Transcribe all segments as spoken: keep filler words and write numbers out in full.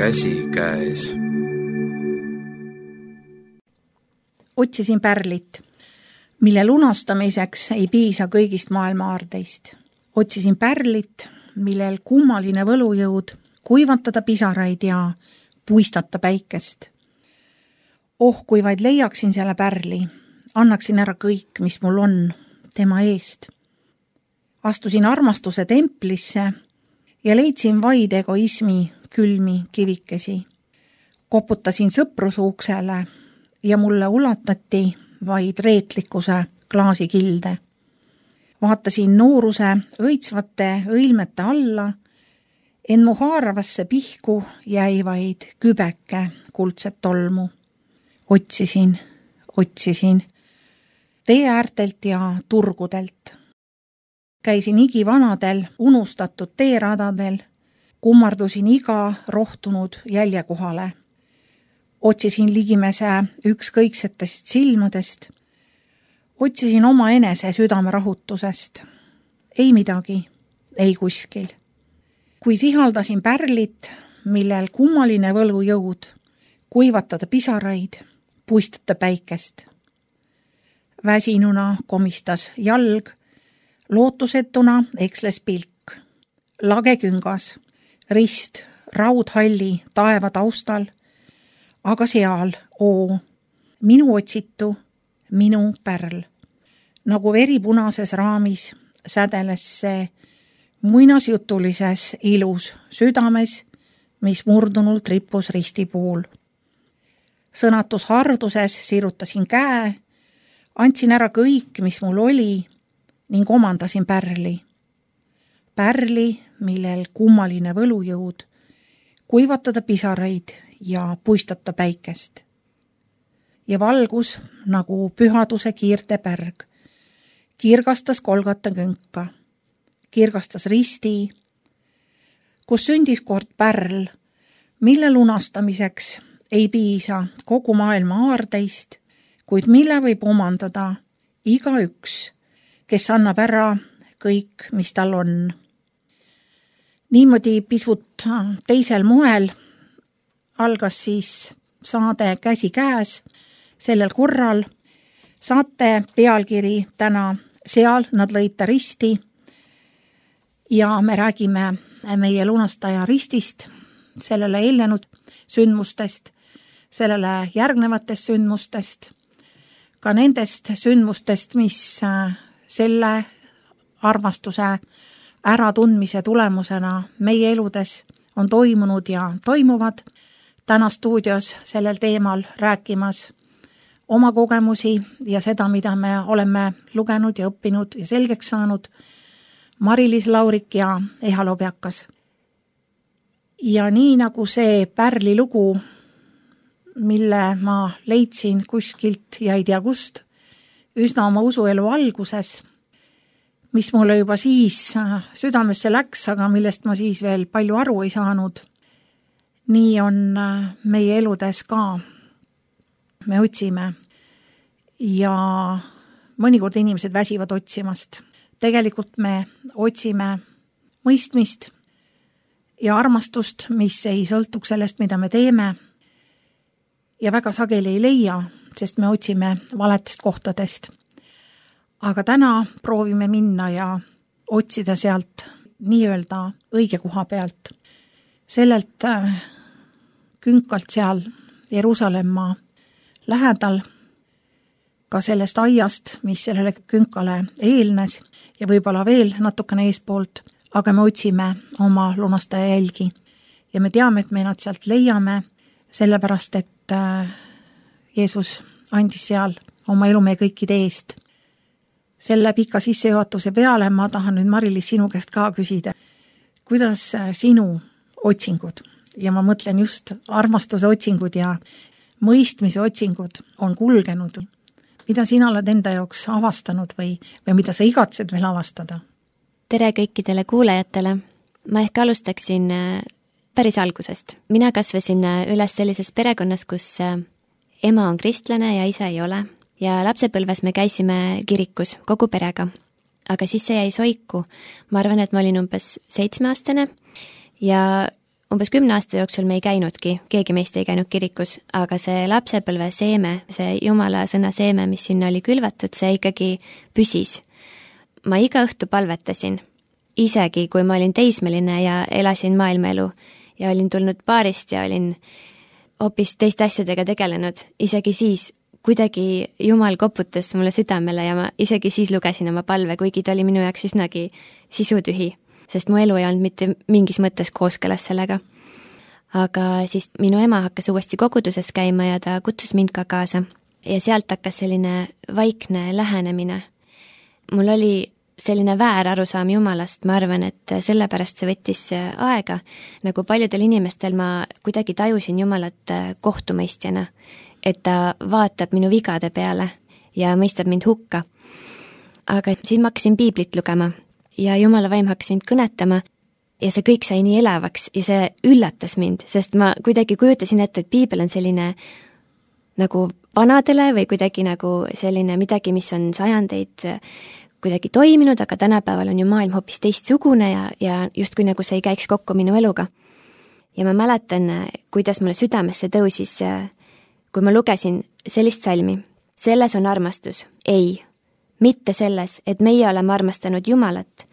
käsi käes. Otsisin pärlit, mille lunastamiseks ei piisa kõigist maailma aardeist. Otsisin pärlit, millel kummaline võlujõud kuivatada pisaraid ja puistata päikest. Oh, kui vaid leiaksin selle pärli, annaksin ära kõik, mis mul on tema eest. Astusin armastuse templisse ja leidsin vaid egoismi külmi kivikesi. Koputasin sõpruse uksele ja mulle ulatati vaid reetlikkuse klaasikilde. Vaatasin nooruse õitsvate õilmete alla, en mu haaravasse pihku jäi vaid kübeke kuldset tolmu. Otsisin, otsisin tee äärtelt ja turgudelt. Käisin igivanadel unustatud teeradadel, kummardusin iga rohtunud jäljekohale. Otsisin ligimese ükskõiksetest silmadest. Otsisin oma enese südame rahutusest. Ei midagi, ei kuskil. Kui sihaldasin pärlit, millel kummaline võlujõud, kuivatada pisaraid, puistata päikest. Väsinuna komistas jalg, lootusetuna eksles pilk. Lageküngas, rist, raudhalli, taeva taustal, aga seal, oo, minu otsitu, minu pärl. Nagu veripunases raamis sädeles see muinasjutulises ilus südames, mis murdunult rippus risti puul. Sõnatus harduses sirutasin käe, andsin ära kõik, mis mul oli, ning omandasin pärli. Pärli, millel kummaline võlujõud, kuivatada pisaraid ja puistata päikest. Ja valgus, nagu pühaduse kiirte pärg, kirgastas Kolgata künka, kirgastas risti, kus sündis kord pärl, mille lunastamiseks ei piisa kogu maailma aardeist, kuid mille võib omandada igaüks, kes annab ära kõik, mis tal on. Niimoodi pisut teisel moel algas siis saade Käsi käes. Sellel korral saate pealkiri täna Seal nad lõid ta risti ja me räägime meie lunastaja ristist, sellele eelnenud sündmustest, sellele järgnevatest sündmustest, ka nendest sündmustest, mis selle armastuse äratundmise tulemusena meie eludes on toimunud ja toimuvad. Täna stuudios sellel teemal rääkimas oma kogemusi ja seda, mida me oleme lugenud ja õppinud ja selgeks saanud, Mari-Liis Laurik ja Eha Lobjakas. Ja nii nagu see pärli lugu, mille ma leidsin kuskilt ja ei tea kust, üsna oma usuelu alguses, mis mulle juba siis südamesse läks, aga millest ma siis veel palju aru ei saanud. Nii on meie eludes ka. Me otsime ja mõnikord inimesed väsivad otsimast. Tegelikult me otsime mõistmist ja armastust, mis ei sõltuks sellest, mida me teeme ja väga sageli ei leia, sest me otsime valetest kohtadest. Aga täna proovime minna ja otsida sealt nii-öelda õige koha pealt. Sellelt künkalt seal Jeruusalemma lähedal, ka sellest aiast, mis sellele künkale eelnes ja võib-olla veel natukene eespoolt, aga me otsime oma lunastaja jälgi. Ja me teame, et me nad sealt leiame, sellepärast, et Jeesus andis seal oma elu meie kõikide eest. Selle pika sissejuhatuse peale ma tahan nüüd Mari-Liis sinu käest ka küsida, kuidas sinu otsingud, ja ma mõtlen just armastuse otsingud ja mõistmise otsingud on kulgenud. Mida sina oled enda jaoks avastanud või, või mida sa igatsed veel avastada? Tere kõikidele kuulajatele. Ma ehk alustaksin päris algusest. Mina kasvasin üles sellises perekonnas, kus ema on kristlane ja isa ei ole. Ja lapsepõlves me käisime kirikus kogu perega. Aga siis see jäi soiku. Ma arvan, et ma olin umbes seitsmeaastane ja umbes kümne aasta jooksul me ei käinudki, keegi meist ei käinud kirikus, aga see lapsepõlve seeme, see Jumala sõna seeme, mis sinna oli külvatud, see ikkagi püsis. Ma iga õhtu palvetasin, isegi kui ma olin teismeline ja elasin maailmaelu ja olin tulnud baarist ja olin hoopis teiste asjadega tegelenud, isegi siis kuidagi Jumal koputas mulle südamele ja ma isegi siis lugesin oma palve, kuigi ta oli minu jaoks üsnagi sisutühi, sest mu elu ei olnud mitte mingis mõttes kooskõlas sellega. Aga siis minu ema hakkas uuesti koguduses käima ja ta kutsus mind ka kaasa ja sealt hakkas selline vaikne lähenemine. Mul oli selline väär arusaam Jumalast, ma arvan, et sellepärast see võttis aega. Nagu paljudel inimestel ma kuidagi tajusin Jumalat kohtumõistjana, et ta vaatab minu vigade peale ja mõistab mind hukka. Aga siis ma hakkasin piiblit lugema ja Jumala vaim hakkas mind kõnetama ja see kõik sai nii elavaks ja see üllatas mind, sest ma kuidagi kujutasin ette, et piibel on selline nagu vanadele või kuidagi nagu selline midagi, mis on sajandeid kuidagi toiminud, aga tänapäeval on ju maailm hoopis teistsugune ja, ja justkui nagu see ei käiks kokku minu eluga. Ja ma mäletan, kuidas mulle südamesse tõusis, kui ma lugesin sellist salmi. Selles on armastus. Ei, mitte selles, et meie oleme armastanud Jumalat,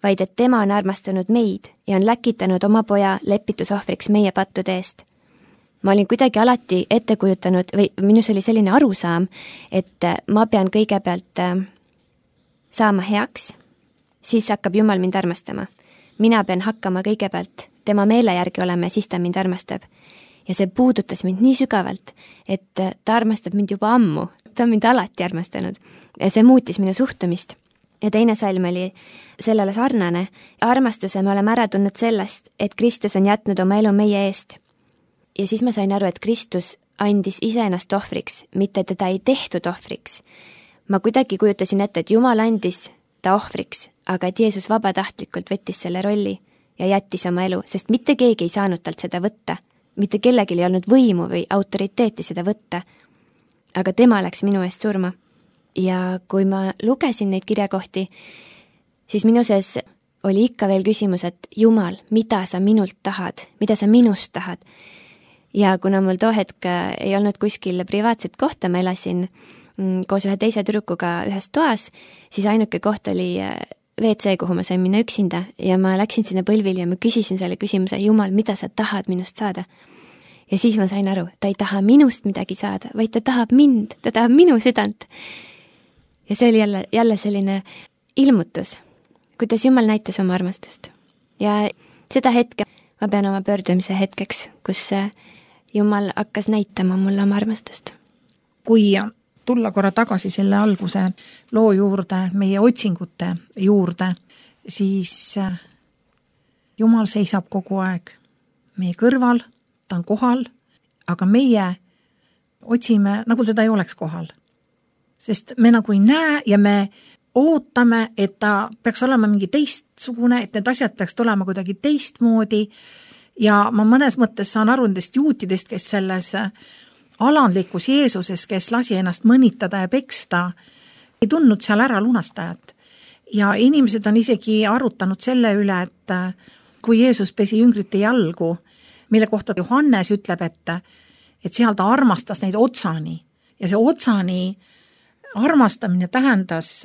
vaid et tema on armastanud meid ja on läkitanud oma poja lepitusohvriks meie pattude eest. Ma olin kuidagi alati ette kujutanud või minus oli selline arusaam, et ma pean kõigepealt saama heaks, siis hakkab Jumal mind armastama. Mina pean hakkama kõigepealt tema meele järgi olema ja siis ta mind armastab. Ja see puudutas mind nii sügavalt, et ta armastab mind juba ammu. Ta on mind alati armastanud. Ja see muutis minu suhtumist. Ja teine salm oli sellele sarnane. Armastuse me oleme ära tundnud sellest, et Kristus on jätnud oma elu meie eest. Ja siis ma sain aru, et Kristus andis iseennast ohvriks, mitte teda ei tehtud ohvriks. Ma kuidagi kujutasin ette, et Jumal andis ta ohvriks, aga et Jeesus vabatahtlikult võttis selle rolli ja jättis oma elu, sest mitte keegi ei saanud talt seda võtta. Mitte kellelgi ei olnud võimu või autoriteeti seda võtta. Aga tema läks minu eest surma. Ja kui ma lugesin neid kirjakohti, siis minu sees oli ikka veel küsimus, et Jumal, mida sa minult tahad, mida sa minust tahad. Ja kuna mul too hetk ei olnud kuskil privaatset kohta, ma elasin koos ühe teise tüdrukuga ühes toas, siis ainuke koht oli V C, kuhu ma sain minna üksinda ja ma läksin sinna põlvili ja ma küsisin selle küsimuse, Jumal, mida sa tahad minust saada? Ja siis ma sain aru, ta ei taha minust midagi saada, vaid ta tahab mind, ta tahab minu südant. Ja see oli jälle, jälle selline ilmutus, kuidas Jumal näitas oma armastust. Ja seda hetke ma pean oma pöördumise hetkeks, kus Jumal hakkas näitama mulle oma armastust. Kui tulla korra tagasi selle alguse loo juurde, meie otsingute juurde, siis Jumal seisab kogu aeg meie kõrval, ta on kohal, aga meie otsime, nagu teda ei oleks kohal. Sest me nagu ei näe ja me ootame, et ta peaks olema mingi teistsugune, et need asjad peaks tulema kuidagi teistmoodi ja ma mõnes mõttes saan aru nendest juutidest, kes selles alandlikus Jeesuses, kes lasi ennast mõnitada ja peksta, ei tundnud seal ära lunastajat. Ja inimesed on isegi arutanud selle üle, et kui Jeesus pesi jüngrite jalgu, mille kohta Johannes ütleb, et, et seal ta armastas neid otsani. Ja see otsani armastamine tähendas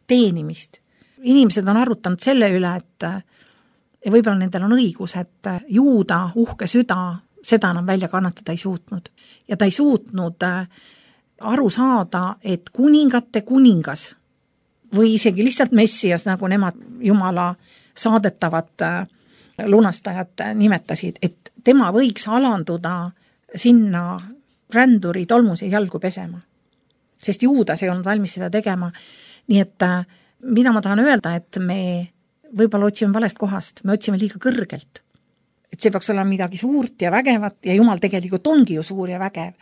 teenimist. Inimesed on arutanud selle üle, et ja võib-olla nendel on õigus, et Juuda uhke süda seda enam välja kannatada ei suutnud. Ja ta ei suutnud aru saada, et kuningate kuningas või isegi lihtsalt Messias, nagu nemad Jumala saadetavat lunastajat nimetasid, et tema võiks alanduda sinna ränduri tolmuse jalgu pesema. Sest Juudas ei olnud valmis seda tegema. Nii et mida ma tahan öelda, et me võib-olla otsime valest kohast, me otsime liiga kõrgelt. Et see peaks olema midagi suurt ja vägevat ja Jumal tegelikult ongi ju suur ja vägev.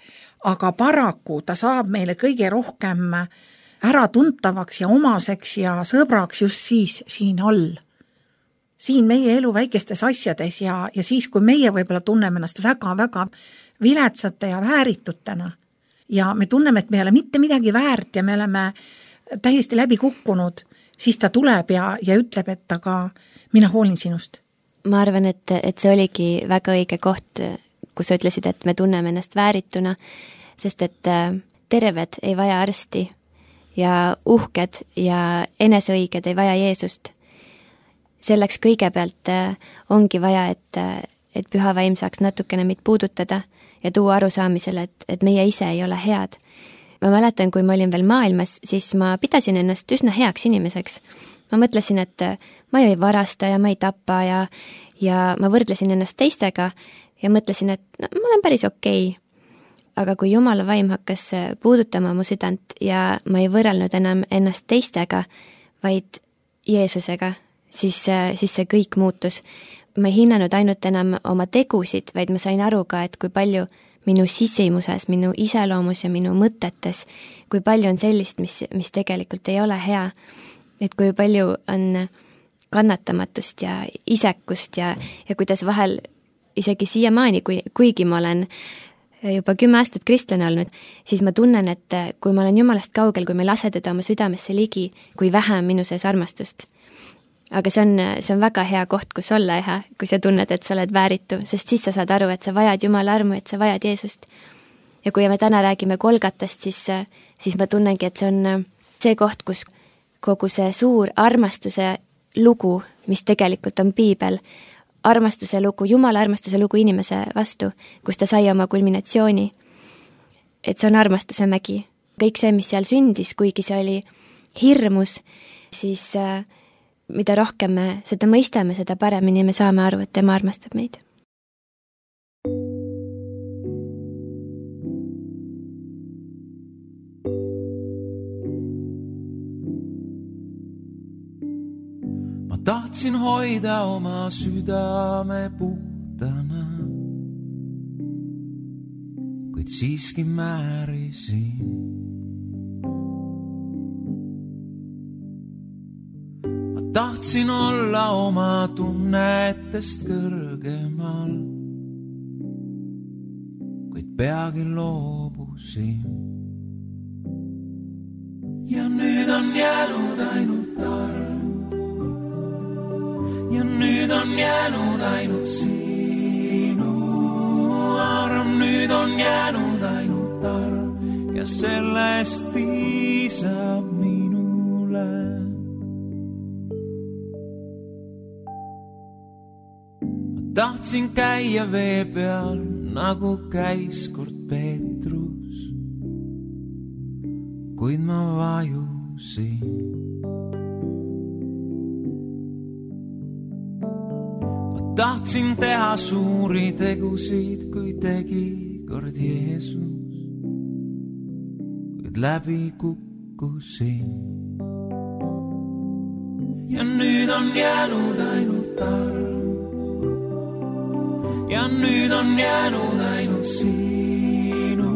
Aga paraku ta saab meile kõige rohkem ära tuntavaks ja omaseks ja sõbraks just siis siin all. Siin meie elu väikestes asjades ja, ja siis, kui meie võib-olla tunneme ennast väga-väga viletsate ja vääritutena ja me tunneme, et me ei ole mitte midagi väärt ja me oleme täiesti läbi kukkunud, siis ta tuleb ja, ja ütleb, et aga mina hoolin sinust. ma arvan, et, et see oligi väga õige koht, kus sa ütlesid, et me tunneme ennast väärituna, sest et terved ei vaja arsti ja uhked ja eneseõiged ei vaja Jeesust. Selleks kõigepealt ongi vaja, et, et püha vaim saaks natukene meid puudutada ja tuua arusaamisele, et, et meie ise ei ole head. Ma mäletan, kui ma olin veel maailmas, siis ma pidasin ennast üsna heaks inimeseks. Ma mõtlesin, et ma ei varasta ja ma ei tapa ja, ja ma võrdlesin ennast teistega ja mõtlesin, et no, ma olen päris okei. Aga kui Jumala vaim hakkas puudutama mu südant ja ma ei võrrelnud enam ennast teistega, vaid Jeesusega, siis, siis see kõik muutus. Ma ei hinnanud ainult enam oma tegusid, vaid ma sain aru ka, et kui palju minu sisimuses, minu iseloomus ja minu mõtetes, kui palju on sellist, mis, mis tegelikult ei ole hea. Et kui palju on kannatamatust ja isekust ja, ja kuidas vahel isegi siiamaani, kui, kuigi ma olen juba kümme aastat kristlane olnud, siis ma tunnen, et kui ma olen Jumalast kaugel, kui ma ei lase teda oma südamesse ligi, kui vähe on minu sees armastust. Aga see on, see on väga hea koht, kus olla ja kui sa tunned, et sa oled vääritu, sest siis sa saad aru, et sa vajad Jumala armu, et sa vajad Jeesust. Ja kui me täna räägime Golgatast, siis, siis ma tunnengi, et see on see koht, kus kogu see suur armastuse lugu, mis tegelikult on Piibel, armastuse lugu, Jumala armastuse lugu inimese vastu, kus ta sai oma kulminatsiooni. Et see on armastuse mägi. Kõik see, mis seal sündis, kuigi see oli hirmus, siis äh, mida rohkem me seda mõistame, seda paremini me saame aru, et tema armastab meid. Tahtsin hoida oma südame puhtana, kuid siiski määrisin. Ma tahtsin olla oma tunnetest kõrgemal, kuid peagi loobusin. Ja nüüd on jäänud ainult arv. Ja nüüd on jäänud ainult sinu arm, nüüd on jäänud ainult arm ja sellest piisab minule. Ma tahtsin käia vee peal, nagu käis kord Peetrus, kuid ma vajusin. Tahtsin teha suuri tegusid, kui tegi kord Jeesus, kuid läbi kukkusin. Ja nüüd on jäänud ainult arm, ja nüüd on jäänud ainult sinu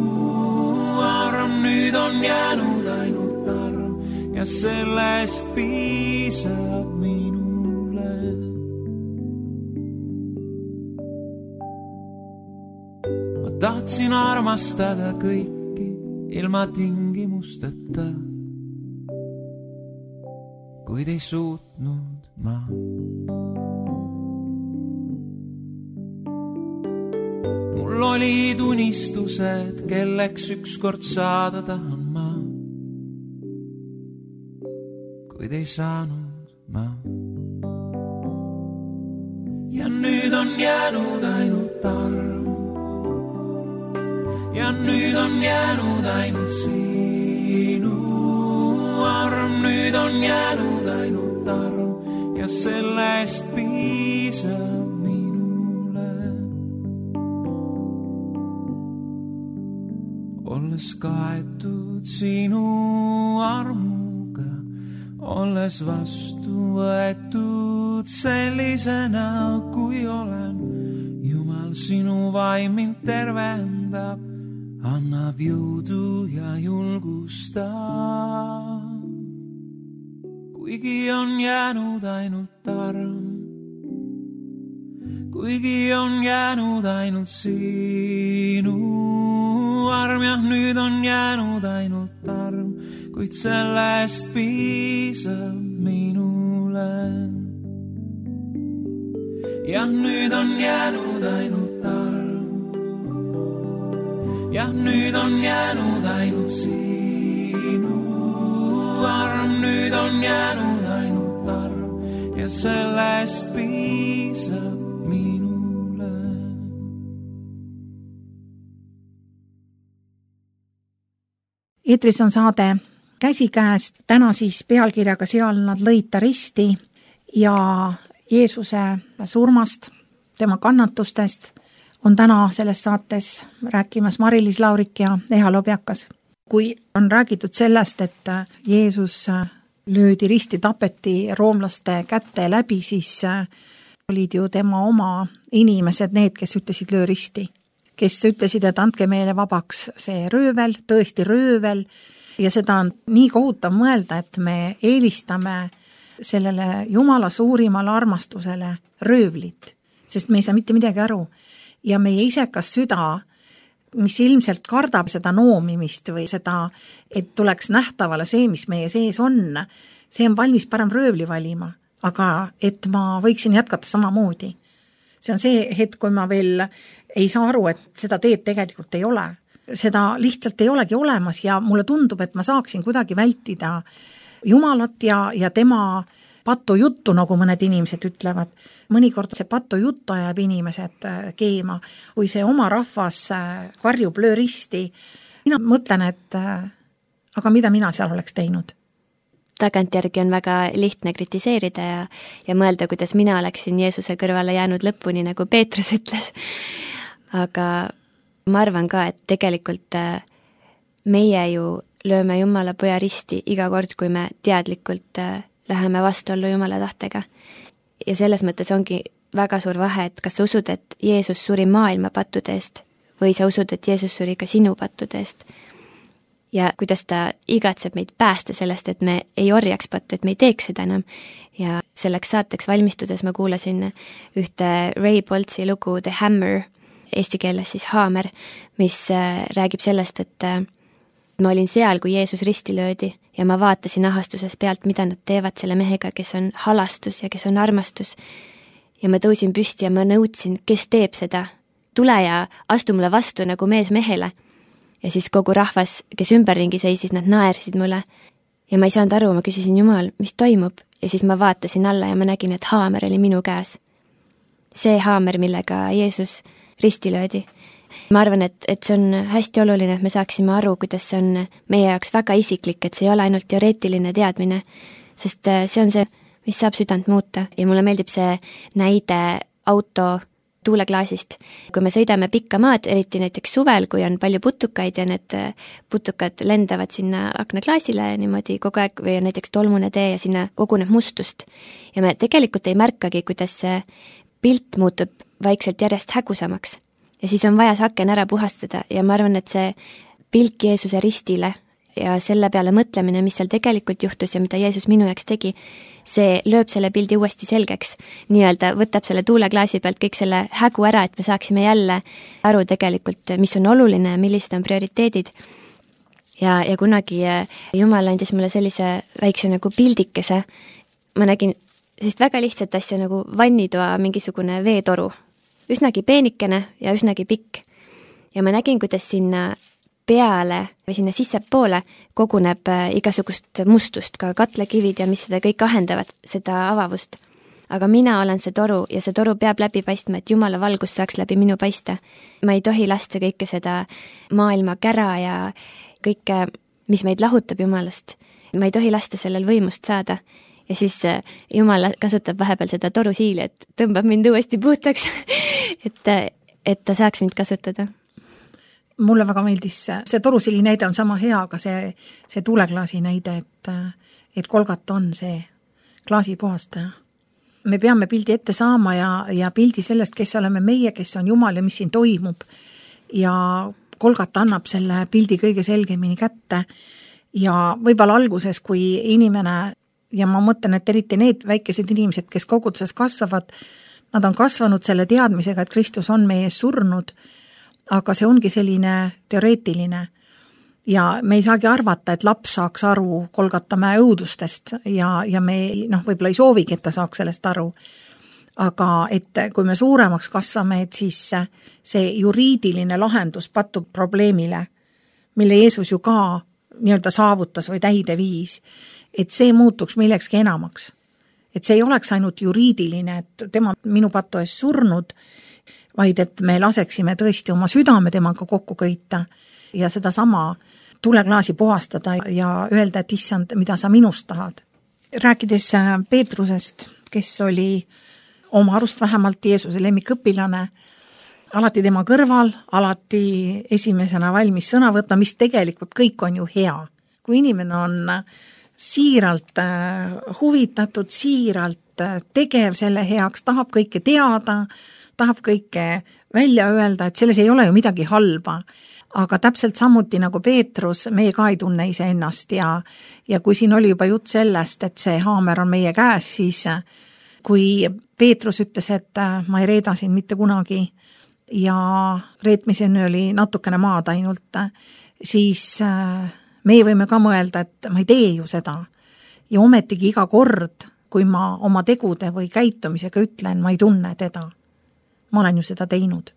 arm, nüüd on jäänud ainult arm ja sellest piisab minule. Tahtsin armastada kõiki ilma tingimusteta, kuid ei suutnud ma. Mul olid unistused, kelleks ükskord saada tahan ma, kuid ei saanud ma. Ja nüüd on jäänud ainult arm, ja nüüd on jäänud ainult sinu arm, nüüd on jäänud ainult arm ja sellest piisab minule. Olles kaetud sinu armuga, olles vastu võetud sellisena, kui olen, Jumal sinu vaim mind tervendab, annab jõudu ja julgustab. Kuigi on jäänud ainult arm, kuigi on jäänud ainult sinu arm, jah, nüüd on jäänud ainult arm, kuid sellest piisab minule. ja nüüd on jäänud ainult arm. Ja nüüd on jäänud ainult sinu arm, nüüd on jäänud ainult arm ja sellest piisab minule. Eetris on saade Käsikäes, täna siis pealkirjaga Seal nad lõid ta risti ja Jeesuse surmast, tema kannatustest on täna selles saates rääkimas Mari-Liis Laurik ja Eha Lobjakas. Kui on räägitud sellest, et Jeesus löödi risti, tapeti roomlaste kätte läbi, siis olid ju tema oma inimesed need, kes ütlesid löö risti. Kes ütlesid, et andke meile vabaks see röövel, tõesti röövel, ja seda on nii kohutav mõelda, et me eelistame sellele Jumala suurimale armastusele röövlit, sest me ei saa mitte midagi aru. Ja meie isekas süda, mis ilmselt kardab seda noomimist või seda, et tuleks nähtavale see, mis meie sees on, see on valmis parem röövli valima, aga et ma võiksin jätkata samamoodi. See on see hetk, kui ma veel ei saa aru, et seda teed tegelikult ei ole. Seda lihtsalt ei olegi olemas ja mulle tundub, et ma saaksin kuidagi vältida Jumalat ja, ja tema patujuttu, nagu mõned inimesed ütlevad. Mõnikord see patujutt ajab inimesed keema, kui see oma rahvas karjub löö risti. Mina mõtlen, et aga mida mina seal oleks teinud? Tagantjärgi on väga lihtne kritiseerida ja, ja mõelda, kuidas mina oleksin Jeesuse kõrvale jäänud lõpuni, nagu Peetrus ütles. Aga ma arvan ka, et tegelikult meie ju lööme Jumala poja risti iga kord, kui me teadlikult läheme vastuollu Jumala tahtega. Ja selles mõttes ongi väga suur vahe, et kas sa usud, et Jeesus suri maailma pattude eest või sa usud, et Jeesus suri ka sinu pattude eest. Ja kuidas ta igatseb meid päästa sellest, et me ei orjaks pattu, et me ei teeks seda enam. Ja selleks saateks valmistudes ma kuulasin ühte Ray Boltsi lugu The Hammer, eesti keeles siis haamer, mis räägib sellest, et ma olin seal, kui Jeesus risti löödi ja ma vaatasin ahastuses pealt, mida nad teevad selle mehega, kes on halastus ja kes on armastus. Ja ma tõusin püsti ja ma nõudsin, kes teeb seda. Tule ja astu mulle vastu nagu mees mehele. Ja siis kogu rahvas, kes ümberringi seisis, nad naersid mulle. Ja ma ei saanud aru, ma küsisin Jumal, mis toimub? Ja siis ma vaatasin alla ja ma nägin, et haamer oli minu käes. See haamer, millega Jeesus risti löödi. Ma arvan, et, et see on hästi oluline, et me saaksime aru, kuidas see on meie jaoks väga isiklik, et see ei ole ainult teoreetiline teadmine, sest see on see, mis saab südant muuta. Ja mulle meeldib see näide auto tuuleklaasist. Kui me sõidame pikka maad, eriti näiteks suvel, kui on palju putukaid ja need putukad lendavad sinna aknaklaasile niimoodi kogu aeg või näiteks tolmune tee ja sinna koguneb mustust. Ja me tegelikult ei märkagi, kuidas see pilt muutub vaikselt järjest hägusamaks. Ja siis on vaja see aken ära puhastada ja ma arvan, et see pilk Jeesuse ristile ja selle peale mõtlemine, mis seal tegelikult juhtus ja mida Jeesus minu jaoks tegi, see lööb selle pildi uuesti selgeks. Nii-öelda võtab selle tuuleklaasi pealt kõik selle hägu ära, et me saaksime jälle aru tegelikult, mis on oluline, millised on prioriteedid. Ja, ja kunagi Jumal andis mulle sellise väikse nagu pildikese. Ma nägin sellist väga lihtsat asja nagu vannitoa mingisugune veetoru. Üsnagi peenikene ja üsnagi pikk. Ja ma nägin, kuidas sinna peale või sinna sissepoole koguneb igasugust mustust, ka katlekivid ja mis seda kõik ahendavad, seda avavust. Aga mina olen see toru ja see toru peab läbi paistma, et Jumala valgus saaks läbi minu paista. Ma ei tohi lasta kõike seda maailma kära ja kõike, mis meid lahutab Jumalast. Ma ei tohi lasta sellel võimust saada. Ja siis Jumal kasutab vahepeal seda toru siili, et tõmbab mind uuesti puhtaks, et, et ta saaks mind kasutada. Mulle väga meeldis, see torusili näide on sama hea, aga see, see tuuleklaasi näide, et, et Kolgat on see klaasi puhastaja. Me peame pildi ette saama ja, ja pildi sellest, kes oleme meie, kes on Jumal ja mis siin toimub. Ja Kolgat annab selle pildi kõige selgemini kätte ja võib-olla alguses, kui inimene, ja ma mõtlen, et eriti need väikesed inimesed, kes koguduses kasvavad, nad on kasvanud selle teadmisega, et Kristus on meie ees surnud, aga see ongi selline teoreetiline ja me ei saagi arvata, et laps saaks aru Kolgata mäe õudustest ja, ja me noh, võib-olla ei soovigi, et ta saaks sellest aru. aga et kui me suuremaks kasvame, et siis see juriidiline lahendus patub probleemile, mille Jeesus ju ka nii-öelda saavutas või täide viis, et see muutuks millekski enamaks. Et see ei oleks ainult juriidiline, et tema minu patu ees surnud, vaid et me laseksime tõesti oma südame temaga kokku köita ja seda sama tuleklaasi puhastada ja öelda, et issand, mida sa minust tahad. Rääkides Peetrusest, kes oli oma arust vähemalt Jeesuse lemmikõpilane, alati tema kõrval, alati esimesena valmis sõna võtma, mis tegelikult kõik on ju hea. Kui inimene on siiralt huvitatud, siiralt tegev selle heaks, tahab kõike teada, tahab kõike välja öelda, et selles ei ole ju midagi halba. Aga täpselt samuti nagu Peetrus, meie ka ei tunne ise ennast ja, ja kui siin oli juba jutt sellest, et see haamer on meie käes, siis kui Peetrus ütles, et ma ei reeda siin mitte kunagi ja reetmiseni oli natukene maad ainult, siis meie võime ka mõelda, et ma ei tee ju seda. Ja ometigi iga kord, kui ma oma tegude või käitumisega ütlen, ma ei tunne teda. Ma olen ju seda teinud.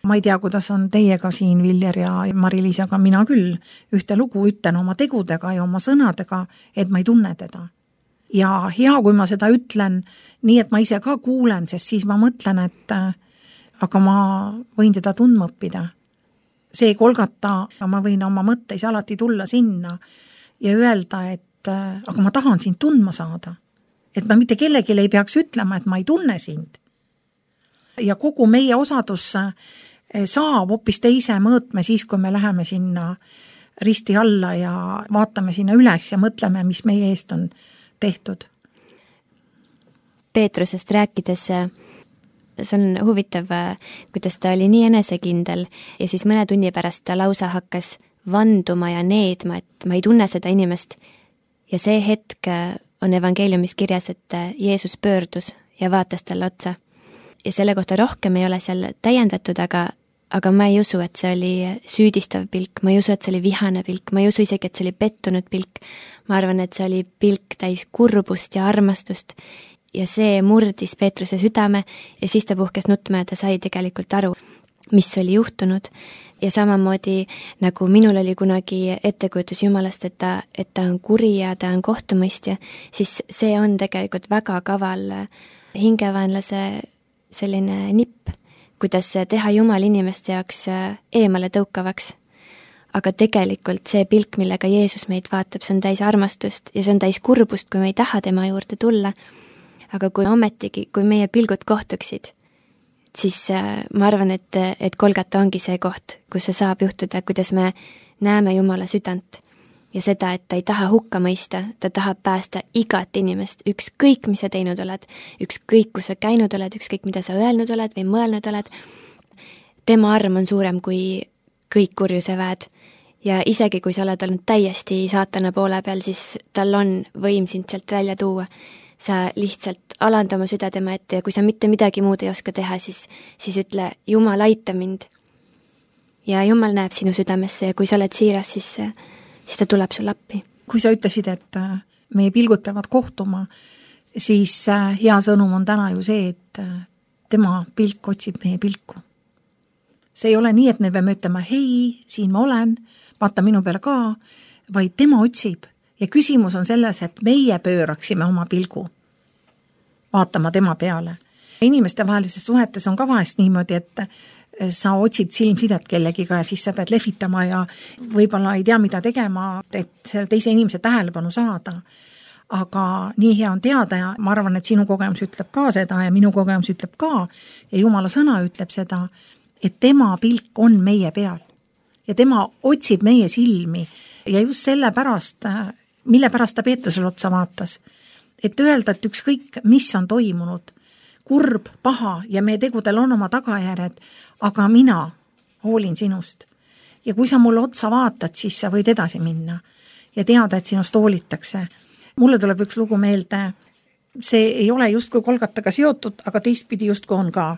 Ma ei tea, kuidas on teiega siin, Viljer ja Mari-Liis, aga mina küll ühte lugu ütlen oma tegudega ja oma sõnadega, et ma ei tunne teda. Ja hea, kui ma seda ütlen nii, et ma ise ka kuulen, sest siis ma mõtlen, et aga ma võin teda tundma õppida. See kolgata, ma võin oma mõtteis alati tulla sinna ja öelda, et aga ma tahan sind tundma saada. Et ma mitte kellelegi ei peaks ütlema, et ma ei tunne sind. Ja kogu meie osadus saab hoopis teise mõõtme siis, kui me läheme sinna risti alla ja vaatame sinna üles ja mõtleme, mis meie eest on tehtud. Peetrusest rääkides, see on huvitav, kuidas ta oli nii enesekindel ja siis mõne tunni pärast ta lausa hakkas vanduma ja needma, et ma ei tunne seda inimest. Ja see hetk on evangeeliumis kirjas, et Jeesus pöördus ja vaatas talle otsa. Ja selle kohta rohkem ei ole seal täiendatud, aga, aga ma ei usu, et see oli süüdistav pilk, ma ei usu, et see oli vihane pilk, ma ei usu isegi, et see oli pettunud pilk. Ma arvan, et see oli pilk täis kurbust ja armastust ja see murdis Peetruse südame ja siis ta puhkes nutma ja ta sai tegelikult aru, mis oli juhtunud. Ja samamoodi, nagu minul oli kunagi ettekujutus Jumalast, et ta, et ta on kuri ja ta on kohtumõistja, siis see on tegelikult väga kaval hingevaenlase selline nipp, kuidas teha Jumal inimeste jaoks eemale tõukavaks. Aga tegelikult see pilk, millega Jeesus meid vaatab, see on täis armastust ja see on täis kurbust, kui me ei taha tema juurde tulla. Aga kui ometigi, kui meie pilgud kohtuksid, siis ma arvan, et, et Kolgata ongi see koht, kus see saab juhtuda, kuidas me näeme Jumala südant. Ja seda, et ta ei taha hukka mõista, ta tahab päästa igat inimest, ükskõik, mis sa teinud oled, ükskõik, kus sa käinud oled, ükskõik, mida sa öelnud oled või mõelnud oled. Tema arm on suurem kui kõik kurjuse väed ja isegi kui sa oled olnud täiesti saatana poole peal, siis tal on võim sind sealt välja tuua. Sa lihtsalt alanda oma süda tema ette ja kui sa mitte midagi muud ei oska teha, siis, siis ütle, Jumal, aita mind. Ja Jumal näeb sinu südamesse ja kui sa oled siiras, siis siis ta tuleb sul appi. Kui sa ütlesid, et meie pilgud peavad kohtuma, siis hea sõnum on täna ju see, et tema pilk otsib meie pilku. See ei ole nii, et me peame ütlema, hei, siin ma olen, vaata minu peale ka, vaid tema otsib. Ja küsimus on selles, et meie pööraksime oma pilgu vaatama tema peale. Inimeste vahelises suhetes on ka vahest niimoodi, et sa otsid silmsidet kellegiga ja siis sa pead lehvitama ja võib-olla ei tea, mida tegema, et selle teise inimese tähelepanu saada. Aga nii hea on teada ja ma arvan, et sinu kogemus ütleb ka seda ja minu kogemus ütleb ka ja Jumala sõna ütleb seda, et tema pilk on meie peal ja tema otsib meie silmi ja just selle pärast, mille pärast ta Peetrusele otsa vaatas, et öelda, et ükskõik, mis on toimunud, kurb, paha ja meie tegudel on oma tagajärjed, aga mina hoolin sinust. Ja kui sa mulle otsa vaatad, siis sa võid edasi minna ja teada, et sinust hoolitakse. Mulle tuleb üks lugu meelde, see ei ole justkui Kolgataga seotud, aga teistpidi justkui on ka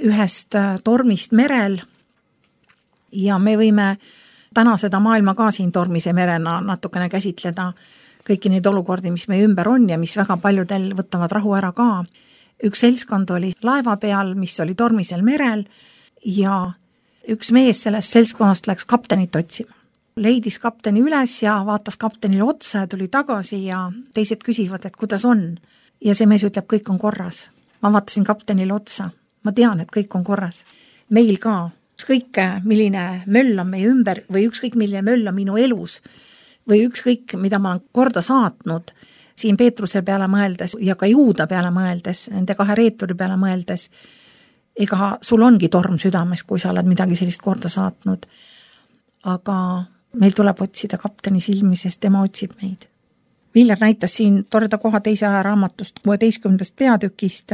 ühest tormist merel ja me võime täna seda maailma ka siin tormise merena natukene käsitleda kõiki neid olukordi, mis meie ümber on ja mis väga paljudel võtavad rahu ära ka. üks seltskond oli laeva peal, mis oli tormisel merel ja üks mees sellest seltskonnast läks kaptenit otsima. Leidis kapteni üles ja vaatas kaptenile otsa ja tuli tagasi ja teised küsivad, et kuidas on. Ja see mees ütleb, kõik on korras. Ma vaatasin kaptenile otsa. Ma tean, et kõik on korras. Meil ka. Ükskõik, milline möll on meie ümber või ükskõik, milline möll on minu elus või ükskõik, mida ma olen korda saatnud, siin Peetruse peale mõeldes ja ka Juuda peale mõeldes, nende kahe reeturi peale mõeldes, ega sul ongi torm südames, kui sa oled midagi sellist korda saatnud. Aga meil tuleb otsida kapteni silmi, sest tema otsib meid. Viljar näitas siin toreda koha teise aja raamatust kuueteistkümnendast peatükist.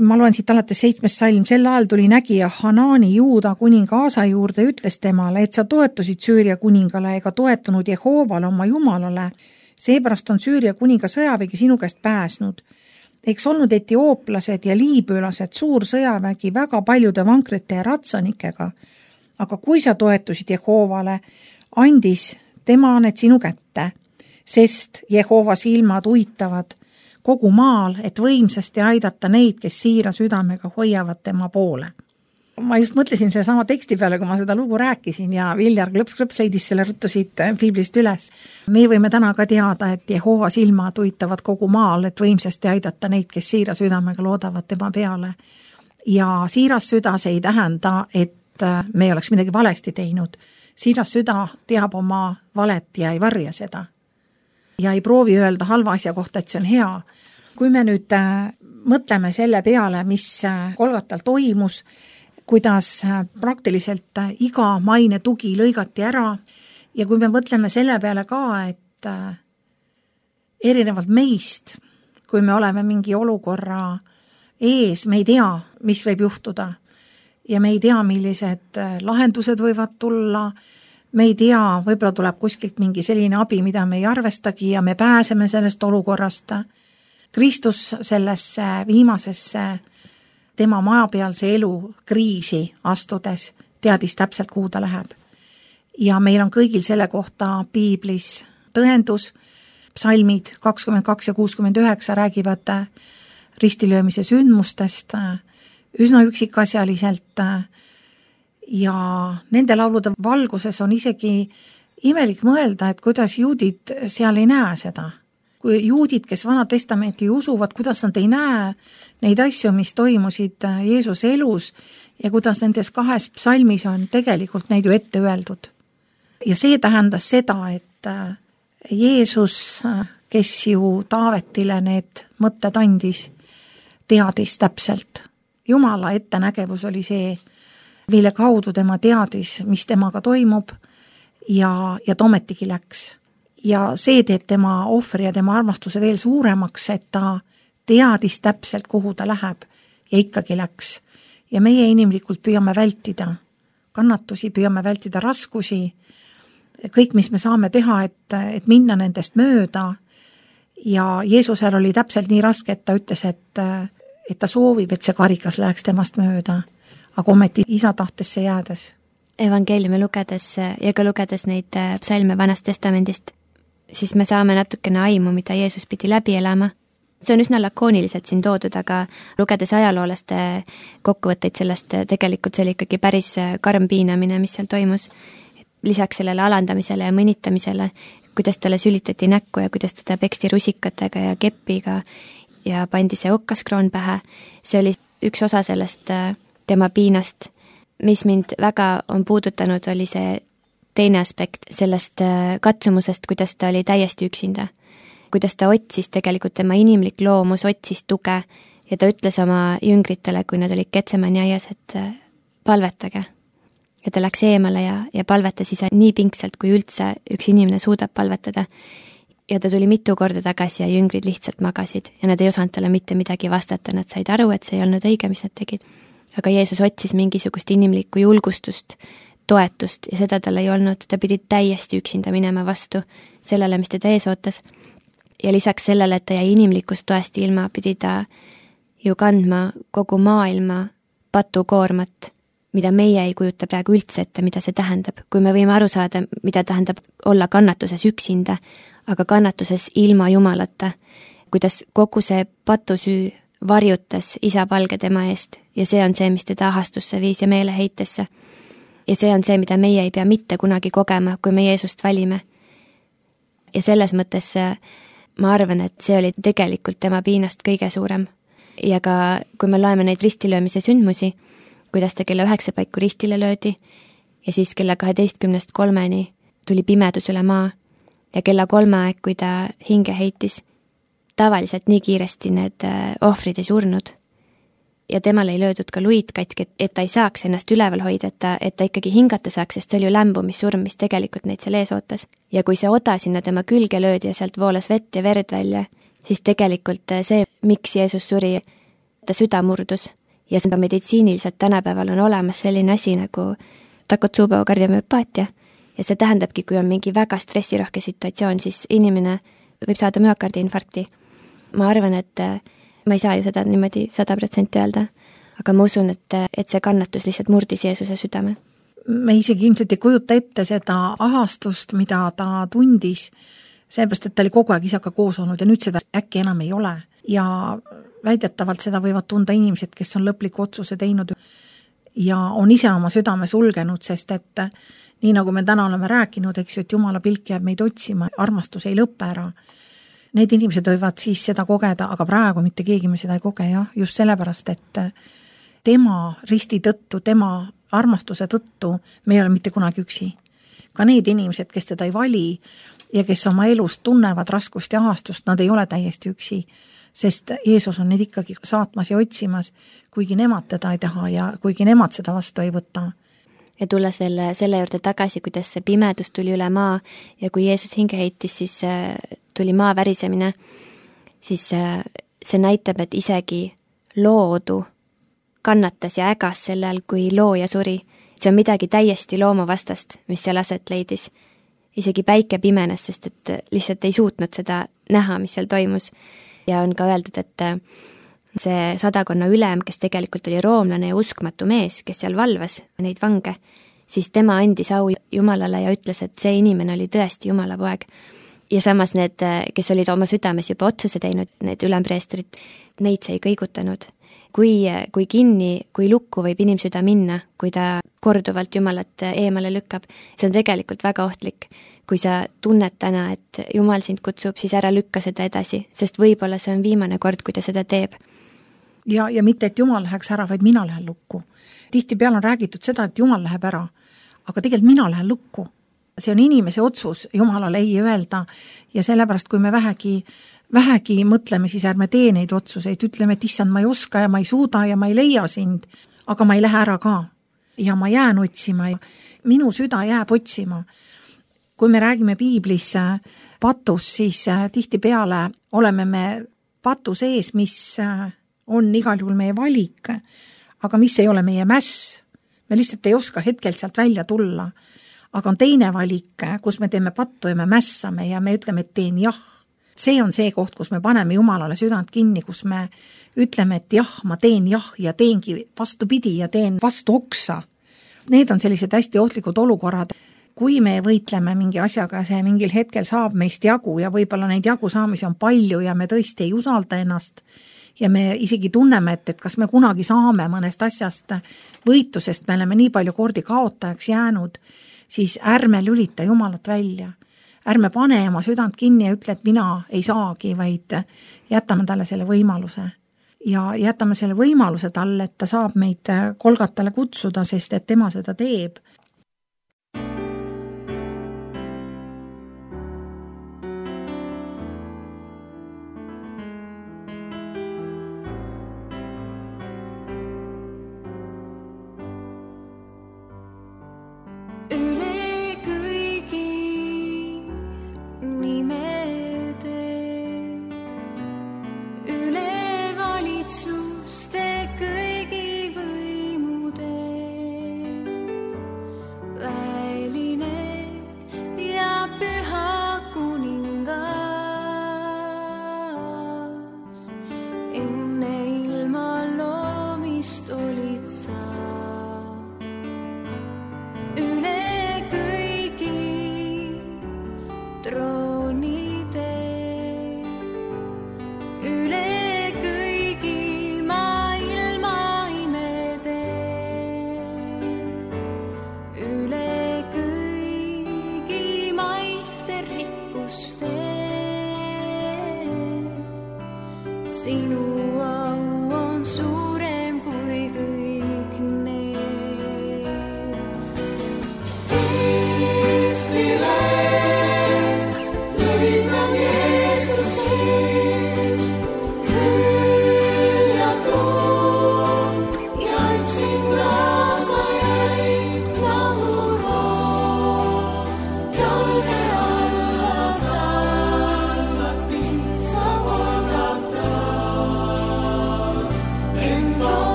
Ma loen siit alates seitsmes salm. Sel ajal tuli nägija Hanaani Juuda kuninga Aasa juurde, ütles temale, et sa toetusid Süüria kuningale ega toetunud Jehoovale oma jumalale. Seepärast on Süüria kuninga sõjavägi sinu käest pääsnud. Eks olnud etiooplased ja liibülased suur sõjavägi väga paljude vankrite ja ratsanikega. Aga kui sa toetusid Jehoovale, andis tema need sinu kätte, sest Jehova silmad uitavad kogu maal, et võimsasti aidata neid, kes siira südamega hoiavad tema poole. Ma just mõtlesin selle sama teksti peale, kui ma seda lugu rääkisin ja Viljar klõps-klõps leidis selle ruttu siit Biiblist üles. Me võime täna ka teada, et Jehova silmad uitavad kogu maal, et võimsasti aidata neid, kes siira südamega loodavad tema peale. Ja siiras süda see ei tähenda, et me oleks midagi valesti teinud. Siiras süda teab oma valet ja ei varja seda. Ja ei proovi öelda halva asja kohta, et see on hea. Kui me nüüd mõtleme selle peale, mis Golgatal toimus, kuidas praktiliselt iga maine tugi lõigati ära ja kui me mõtleme selle peale ka, et erinevalt meist, kui me oleme mingi olukorra ees, me ei tea, mis võib juhtuda. Ja me ei tea, millised lahendused võivad tulla, me ei tea, võib-olla tuleb kuskilt mingi selline abi, mida me ei arvestagi ja me pääseme sellest olukorrast. Kristus sellesse viimasesse tema majapealse elu kriisi astudes teadis täpselt, kuhu ta läheb. Ja meil on kõigil selle kohta Piiblis tõendus, psalmid kakskümmend kaks ja kuuskümmend üheksa räägivad ristilöömise sündmustest, üsna üksikasjaliselt ja nende laulude valguses on isegi imelik mõelda, et kuidas juudid seal ei näe seda. Kui juudid, kes Vana Testamenti usuvad, kuidas nad ei näe neid asju, mis toimusid Jeesuse elus ja kuidas nendes kahes psalmis on tegelikult neid ju ette öeldud. Ja see tähendas seda, et Jeesus, kes ju Taavetile need mõtted andis, teadis täpselt. Jumala ettenägevus oli see, mille kaudu tema teadis, mis temaga toimub ja, ja tometigi läks. Ja see teeb tema ohvri ja tema armastuse veel suuremaks, et ta teadis täpselt, kuhu ta läheb ja ikkagi läks. Ja meie inimlikult püüame vältida kannatusi, püüame vältida raskusi, kõik, mis me saame teha, et, et minna nendest mööda. Ja Jeesusel oli täpselt nii raske, et ta ütles, et et ta soovib, et see karikas läheks temast mööda, aga ometi isa tahtesse jäädes. Evangeeliumi lugedes ja ka lugedes neid psalme Vanast Testamendist, siis me saame natukene aimu, mida Jeesus pidi läbi elama. See on üsna lakooniliselt siin toodud, aga lugedes ajaloolaste kokkuvõtteid sellest, tegelikult see oli ikkagi päris karm piinamine, mis seal toimus. Lisaks sellele alandamisele ja mõnitamisele, kuidas talle sülitati näkku ja kuidas teda peksti rusikatega ja keppiga ja pandi see okkaskroon pähe. See oli üks osa sellest tema piinast. Mis mind väga on puudutanud, oli see teine aspekt sellest katsumusest, kuidas ta oli täiesti üksinda. Kuidas ta otsis tegelikult tema inimlik loomus, otsis tuge ja ta ütles oma jüngritele, kui nad olid Getsemani aias, et palvetage. Ja ta läks eemale ja, ja palvetas ise nii pingsalt, kui üldse üks inimene suudab palvetada. Ja ta tuli mitu korda tagasi ja jüngrid lihtsalt magasid ja nad ei osanud talle mitte midagi vastata, nad said aru, et see ei olnud õige, mis nad tegid. Aga Jeesus otsis mingisugust inimlikku julgustust, toetust ja seda tal ei olnud, ta pidi täiesti üksinda minema vastu sellele, mis teda ees ootas. Ja lisaks sellele, et ta jäi inimlikust toest ilma, pidi ta ju kandma kogu maailma patukoormat, mida meie ei kujuta praegu üldse ette, mida see tähendab. Kui me võime aru saada, mida tähendab olla kannatuses üksinda, aga kannatuses ilma Jumalata, kuidas kogu see patusüü varjutas isa palge tema eest ja see on see, mis teda ahastusse viis ja meeleheitesse. Ja see on see, mida meie ei pea mitte kunagi kogema, kui me Jeesust valime. Ja selles mõttes ma arvan, et see oli tegelikult tema piinast kõige suurem. Ja ka kui me loeme neid ristilöömise sündmusi, kuidas ta kella üheksa paiku ristile löödi ja siis kella kaheteistkümnest kolmeni tuli pimedus üle maa ja kella kolme aeg, kui ta hinge heitis, tavaliselt nii kiiresti need ohvrid ei surnud. Ja temal ei löödud ka luid katki, et ta ei saaks ennast üleval hoida, et ta, et ta ikkagi hingata saaks, sest see oli ju lämbumissurm, mis tegelikult neid seal ees ootas. Ja kui see oda sinna tema külge löödi ja sealt voolas vett ja verd välja, siis tegelikult see, miks Jeesus suri, ta süda murdus. Ja ka meditsiiniliselt tänapäeval on olemas selline asi nagu Takotsubo kardiomüopaatia. Ja see tähendabki, kui on mingi väga stressirohke situatsioon, siis inimene võib saada müokardiinfarkti. Ma arvan, et ma ei saa ju seda niimoodi sada protsenti öelda, aga ma usun, et, et see kannatus lihtsalt murdis Jeesuse südame. Me isegi ilmselt ei kujuta ette seda ahastust, mida ta tundis, seepärast, et ta oli kogu aeg isaga koos olnud ja nüüd seda äkki enam ei ole. Ja väidetavalt seda võivad tunda inimesed, kes on lõpliku otsuse teinud ja on ise oma südame sulgenud, sest et nii nagu me täna oleme rääkinud, eks ju, et Jumala pilk jääb meid otsima, armastus ei lõppe ära. Need inimesed võivad siis seda kogeda, aga praegu mitte keegi me seda ei koge, jah, just sellepärast, et tema risti tõttu, tema armastuse tõttu me ei ole mitte kunagi üksi. Ka need inimesed, kes teda ei vali ja kes oma elust tunnevad raskust ja ahastust, nad ei ole täiesti üksi, sest Jeesus on neid ikkagi saatmas ja otsimas, kuigi nemad teda ei taha ja kuigi nemad seda vastu ei võta. Ja tulles veel selle juurde tagasi, kuidas see pimedus tuli üle maa ja kui Jeesus hinge heitis, siis tuli maa värisemine, siis see näitab, et isegi loodu kannatas ja ägas sellel, kui looja suri. See on midagi täiesti loomuvastast, mis seal aset leidis. Isegi päike pimenes, sest et lihtsalt ei suutnud seda näha, mis seal toimus. Ja on ka öeldud, et see sadakonna ülem, kes tegelikult oli roomlane ja uskmatu mees, kes seal valvas neid vange, siis tema andis au Jumalale ja ütles, et see inimene oli tõesti Jumala poeg. Ja samas need, kes olid oma südames juba otsuse teinud, need ülempreestrid, neid see ei kõigutanud. Kui, kui kinni, kui lukku võib inimsüda minna, kui ta korduvalt Jumalat eemale lükkab, see on tegelikult väga ohtlik. Kui sa tunned täna, et Jumal sind kutsub, siis ära lükka seda edasi, sest võib-olla see on viimane kord, kui ta seda teeb. Ja, ja mitte, et Jumal läheks ära, vaid mina lähen lukku. Tihtipeale on räägitud seda, et Jumal läheb ära, aga tegelikult mina lähen lukku. See on inimese otsus Jumalale ei öelda ja sellepärast, kui me vähegi, vähegi mõtleme, siis ärme tee neid otsuseid, ütleme, et issand, ma ei oska ja ma ei suuda ja ma ei leia sind, aga ma ei lähe ära ka. Ja ma jään otsima ja minu süda jääb otsima. Kui me räägime piiblis patus, siis tihtipeale oleme me patu sees, mis on igal juhul meie valik, aga mis ei ole meie mäss. Me lihtsalt ei oska hetkel sealt välja tulla. Aga on teine valik, kus me teeme pattu ja me mässame ja me ütleme, et teen jah. See on see koht, kus me paneme Jumalale südant kinni, kus me ütleme, et jah, ma teen jah ja teengi vastupidi ja teen vastu oksa. Need on sellised hästi ohtlikud olukorrad. Kui me võitleme mingi asjaga, see mingil hetkel saab meist jagu ja võib-olla neid jagu saamisi on palju ja me tõesti ei usalda ennast ja me isegi tunneme, et, et kas me kunagi saame mõnest asjast võitlusest, me oleme nii palju kordi kaotajaks jäänud, siis ärme lülita Jumalat välja. Ärme pane oma südant kinni ja ütle, et mina ei saagi, vaid jätame talle selle võimaluse. Ja jätame selle võimaluse talle, et ta saab meid Kolgatale kutsuda, sest et tema seda teeb.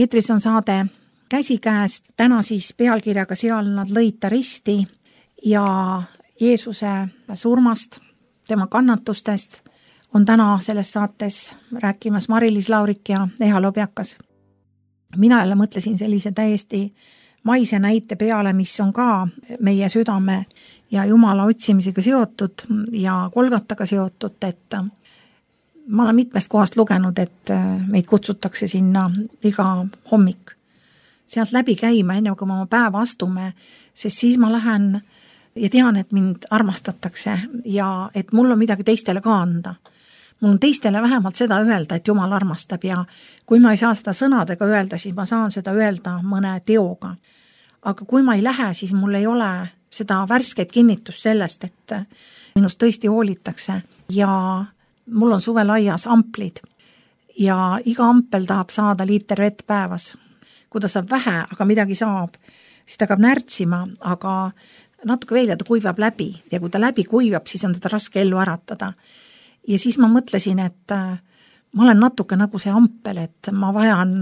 eetris on saade Käsikäes, täna siis pealkirjaga Seal nad lõid ta risti ja Jeesuse surmast, tema kannatustest on täna selles saates rääkimas Mari-Liis Laurik ja Eha Lobjakas. Mina jälle mõtlesin sellise täiesti maise näite peale, mis on ka meie südame ja Jumala otsimisega seotud ja Kolgataga seotud, et ma olen mitmest kohast lugenud, et meid kutsutakse sinna iga hommik sealt läbi käima, enne kui me oma päeva astume, sest siis ma lähen ja tean, et mind armastatakse ja et mul on midagi teistele ka anda. Mul on teistele vähemalt seda öelda, et Jumal armastab ja kui ma ei saa seda sõnadega öelda, siis ma saan seda öelda mõne teoga. Aga kui ma ei lähe, siis mul ei ole seda värsket kinnitust sellest, et minust tõesti hoolitakse ja mul on suvel aias amplid ja iga ampel tahab saada liiter vett päevas. Kui ta saab vähe, aga midagi saab, siis ta hakkab närtsima, aga natuke veel ja ta kuivab läbi ja kui ta läbi kuivab, siis on teda raske ellu äratada. Ja siis ma mõtlesin, et ma olen natuke nagu see ampel, et ma vajan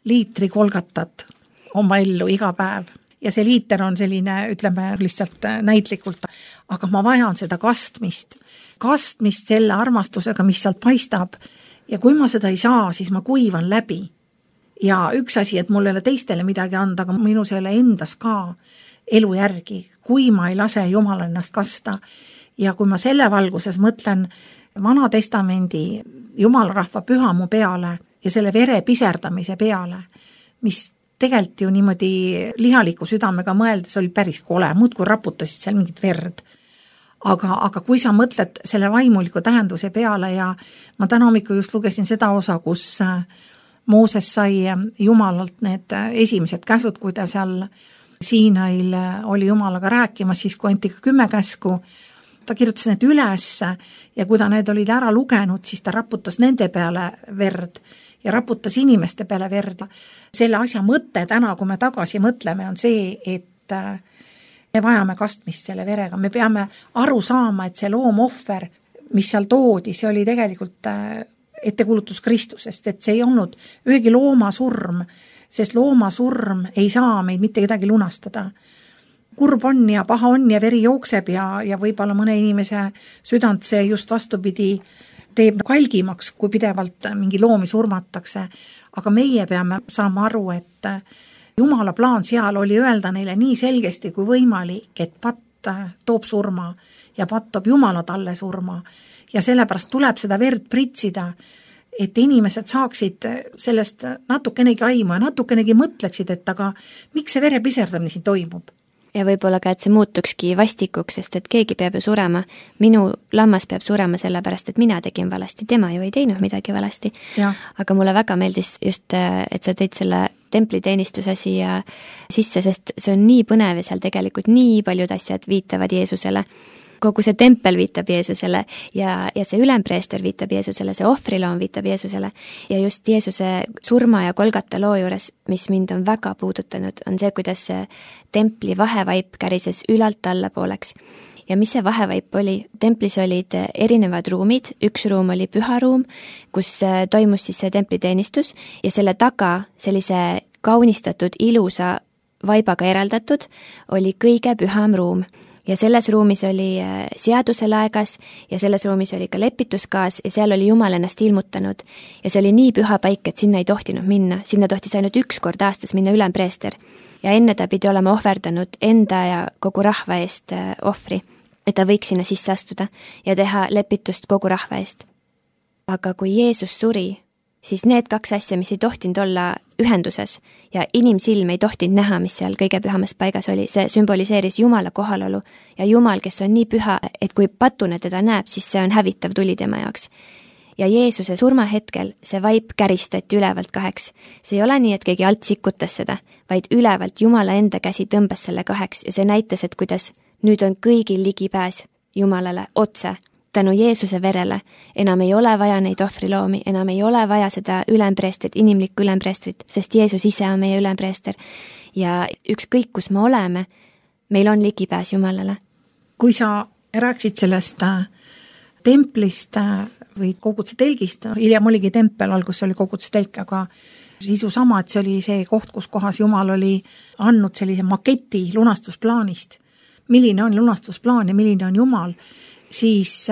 liitri Kolgatat oma ellu iga päev. Ja see liiter on selline, ütleme lihtsalt näitlikult, aga ma vajan seda kastmist, kastmist selle armastusega, mis sealt paistab. Ja kui ma seda ei saa, siis ma kuivan läbi. Ja üks asi, et mul ei ole teistele midagi anda, aga minus ei ole endas ka elu järgi, kui ma ei lase Jumal ennast kasta. Ja kui ma selle valguses mõtlen Vana Testamendi Jumalarahva pühamu peale ja selle vere piserdamise peale, mis tegelikult ju niimoodi lihaliku südamega mõeldes oli päris kole, muud kui raputasid seal mingit verd. Aga, aga kui sa mõtled selle vaimuliku tähenduse peale ja ma täna hommikul just lugesin seda osa, kus Mooses sai Jumalalt need esimesed käsud, kui ta seal Siinail oli Jumalaga rääkimas, siis kui anti ka kümme käsku, ta kirjutas need üles ja kui ta need olid ära lugenud, siis ta raputas nende peale verd ja raputas inimeste peale verd. Selle asja mõte täna, kui me tagasi mõtleme, on see, et me vajame kastmist selle verega. Me peame aru saama, et see loomohver, mis seal toodi, see oli tegelikult ettekuulutus Kristusest, et see ei olnud ühegi looma surm, sest looma surm ei saa meid mitte kedagi lunastada. Kurb on ja paha on ja veri jookseb ja, ja võib-olla mõne inimese südant see just vastupidi teeb kalgimaks, kui pidevalt mingi loomi surmatakse. Aga meie peame saama aru, et Jumala plaan seal oli öelda neile nii selgesti kui võimalik, et patt toob surma ja patt toob Jumala talle surma. Ja sellepärast tuleb seda verd pritsida, et inimesed saaksid sellest natukenegi aimu ja natukenegi mõtleksid, et aga miks see vere piserdamine siin toimub? Ja võib-olla ka, et see muutukski vastikuks, sest et keegi peab ju surema. Minu lammas peab surema sellepärast, et mina tegin valesti, tema ju ei teinud midagi valesti. Ja. Aga mulle väga meeldis just, et sa teid selle templiteenistuse siia sisse, sest see on nii põnev ja seal tegelikult nii paljud asjad viitavad Jeesusele. Kogu see tempel viitab Jeesusele ja, ja see ülempreester viitab Jeesusele, see ohvriloom viitab Jeesusele ja just Jeesuse surma ja Kolgata loo juures, mis mind on väga puudutanud, on see, kuidas see templi vahevaip kärises ülalt alla pooleks. Ja mis see vahevaip oli? Templis olid erinevad ruumid, üks ruum oli püharuum, kus toimus siis see templiteenistus ja selle taga sellise kaunistatud ilusa vaibaga eraldatud oli kõige püham ruum. Ja selles ruumis oli seaduse laegas ja selles ruumis oli ka lepituskaas ja seal oli Jumal ennast ilmutanud. Ja see oli nii püha paik, et sinna ei tohtinud minna. Sinna tohtis ainult üks kord aastas minna ülempreester. Ja enne ta pidi olema ohverdanud enda ja kogu rahva eest ohvri, et ta võiks sinna sisse astuda ja teha lepitust kogu rahva eest. Aga kui Jeesus suri, siis need kaks asja, mis ei tohtinud olla ühenduses ja inimsilm ei tohtinud näha, mis seal kõige pühamas paigas oli, see sümboliseeris Jumala kohalolu ja Jumal, kes on nii püha, et kui patune teda näeb, siis see on hävitav tuli tema jaoks. Ja Jeesuse surmahetkel see vaip käristati ülevalt kaheks. See ei ole nii, et keegi alt sikutas seda, vaid ülevalt Jumala enda käsi tõmbas selle kaheks ja see näitas, et kuidas nüüd on kõigil ligipääs Jumalale otse. Tänu Jeesuse verele enam ei ole vaja neid ohvriloomi, enam ei ole vaja seda ülempreestrit, inimlikku ülempreestrit, sest Jeesus ise on meie ülempreester. Ja ükskõik, kus me oleme, meil on ligipääs Jumalale. Kui sa rääksid sellest templist või koguduse telgist, hiljem oligi tempel, algus oli koguduse telk, aga sisu sama, et see oli see koht, kus kohas Jumal oli andnud sellise maketi lunastusplaanist, milline on lunastusplaan ja milline on Jumal, siis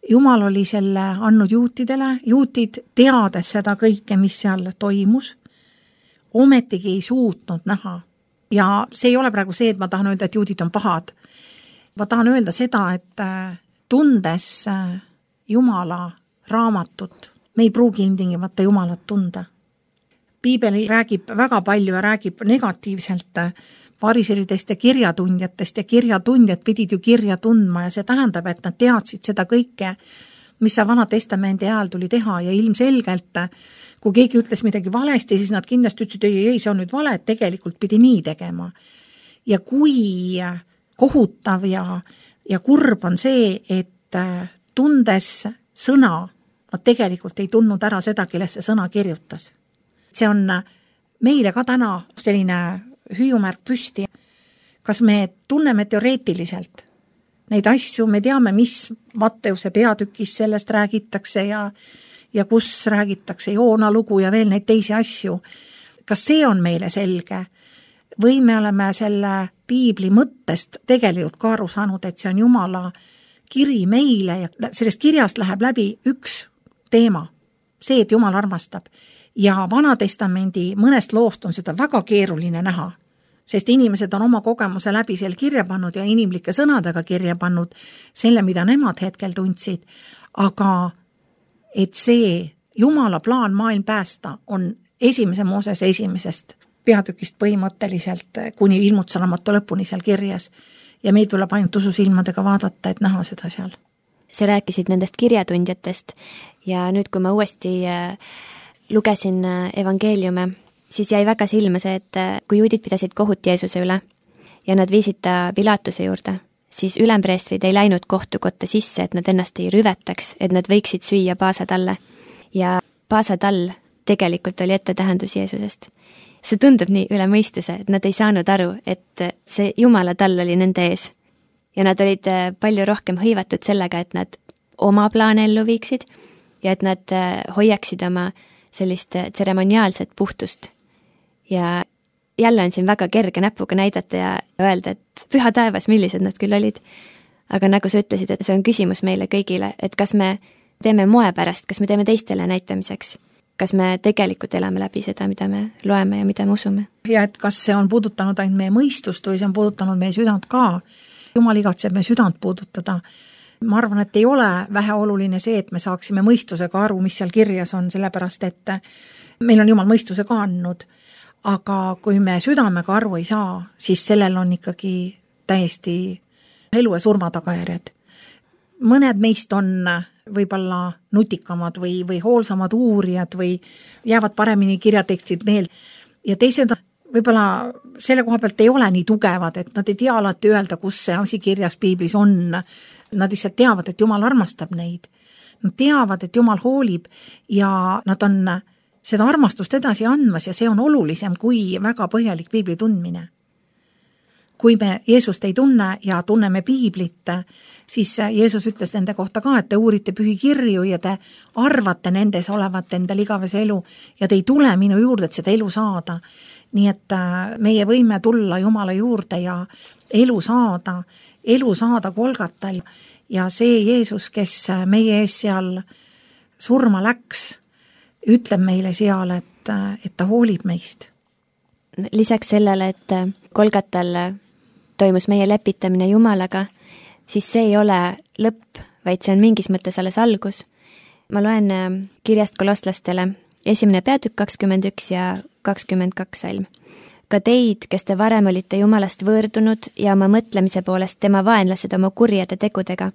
Jumal oli selle andnud juutidele, juutid teades seda kõike, mis seal toimus, ometigi ei suutnud näha. Ja see ei ole praegu see, et ma tahan öelda, et juudid on pahad. Ma tahan öelda seda, et tundes Jumala raamatut, me ei pruugi ilmtingimata Jumalat tunda. Piibel räägib väga palju ja räägib negatiivselt fariseeridest ja kirjatundjatest ja kirjatundjad pidid ju kirja tundma ja see tähendab, et nad teadsid seda kõike, mis see Vana Testamendi ajal tuli teha ja ilmselgelt, kui keegi ütles midagi valesti, siis nad kindlasti ütlesid, ei, ei, see on nüüd vale, et tegelikult pidi nii tegema. Ja kui kohutav ja, ja kurb on see, et tundes sõna, nad tegelikult ei tundnud ära seda, kelles see sõna kirjutas. See on meile ka täna selline hüüumärk püsti. Kas me tunneme teoreetiliselt neid asju, me teame, mis Matteuse peatükis sellest räägitakse ja, ja kus räägitakse Joona lugu ja veel neid teisi asju. Kas see on meile selge? Või me oleme selle piibli mõttest tegelikult ka aru saanud, et see on Jumala kiri meile ja sellest kirjast läheb läbi üks teema, see, et Jumal armastab. Ja Vana Testamendi mõnest loost on seda väga keeruline näha, sest inimesed on oma kogemuse läbi seal kirja pannud ja inimlike sõnadega kirja pannud selle, mida nemad hetkel tundsid. Aga et see Jumala plaan maailm päästa on esimese Moosese esimesest peatükist põhimõtteliselt kuni ilmutusraamatu lõpuni seal kirjas ja meil tuleb ainult ususilmadega vaadata, et näha seda seal. Sa rääkisid nendest kirjatundjatest ja nüüd, kui ma uuesti lugesin evangeeliume, siis jäi väga silma see, et kui juudid pidasid kohut Jeesuse üle ja nad viisid ta Pilatuse juurde, siis ülempreestrid ei läinud kohtukotta sisse, et nad ennast ei rüvetaks, et nad võiksid süüa paasatalle. Ja paasatall tegelikult oli ettetähendus Jeesusest. See tundub nii üle mõistuse, et nad ei saanud aru, et see Jumala tall oli nende ees. Ja nad olid palju rohkem hõivatud sellega, et nad oma plaane ellu viiksid ja et nad hoiaksid oma sellist tseremoniaalset puhtust. Ja jälle on siin väga kerge näpuga näidata ja öelda, et püha taevas, millised nad küll olid. Aga nagu sa ütlesid, et see on küsimus meile kõigile, et kas me teeme moe pärast, kas me teeme teistele näitamiseks, kas me tegelikult elame läbi seda, mida me loeme ja mida me usume. Ja et kas see on puudutanud ainult meie mõistust või see on puudutanud meie südant ka. Jumal igatseb meie südant puudutada. Ma arvan, et ei ole vähe oluline see, et me saaksime mõistusega aru, mis seal kirjas on, sellepärast, et meil on Jumal mõistuse ka andnud. Aga kui me südamega aru ei saa, siis sellel on ikkagi täiesti elu ja surma tagajärjed. Mõned meist on võib-olla nutikamad või, või hoolsamad uurijad või jäävad paremini kirjatekstid meel. Ja teised võib-olla selle koha pealt ei ole nii tugevad, et nad ei tea alati öelda, kus see asi kirjas piiblis on. Nad lihtsalt teavad, et Jumal armastab neid. Nad teavad, et Jumal hoolib ja nad on seda armastust edasi andmas ja see on olulisem kui väga põhjalik piibli tundmine. Kui me Jeesust ei tunne ja tunneme piiblit, siis Jeesus ütles nende kohta ka, et te uurite pühikirju ja te arvate nendes olevat endal igavese elu ja te ei tule minu juurde, et seda elu saada. Nii et meie võime tulla Jumala juurde ja elu saada, elu saada Golgatal ja see Jeesus, kes meie ees seal surma läks, ütleb meile seal, et, et ta hoolib meist. Lisaks sellele, et Golgatal toimus meie lepitamine Jumalaga, siis see ei ole lõpp, vaid see on mingis mõttes alles algus. Ma loen kirjast kolostlastele esimene peatükk kakskümmend üks ja kakskümmend kaks salm. Ka teid, kes te varem olite Jumalast võõrdunud ja oma mõtlemise poolest tema vaenlased oma kurjade tegudega,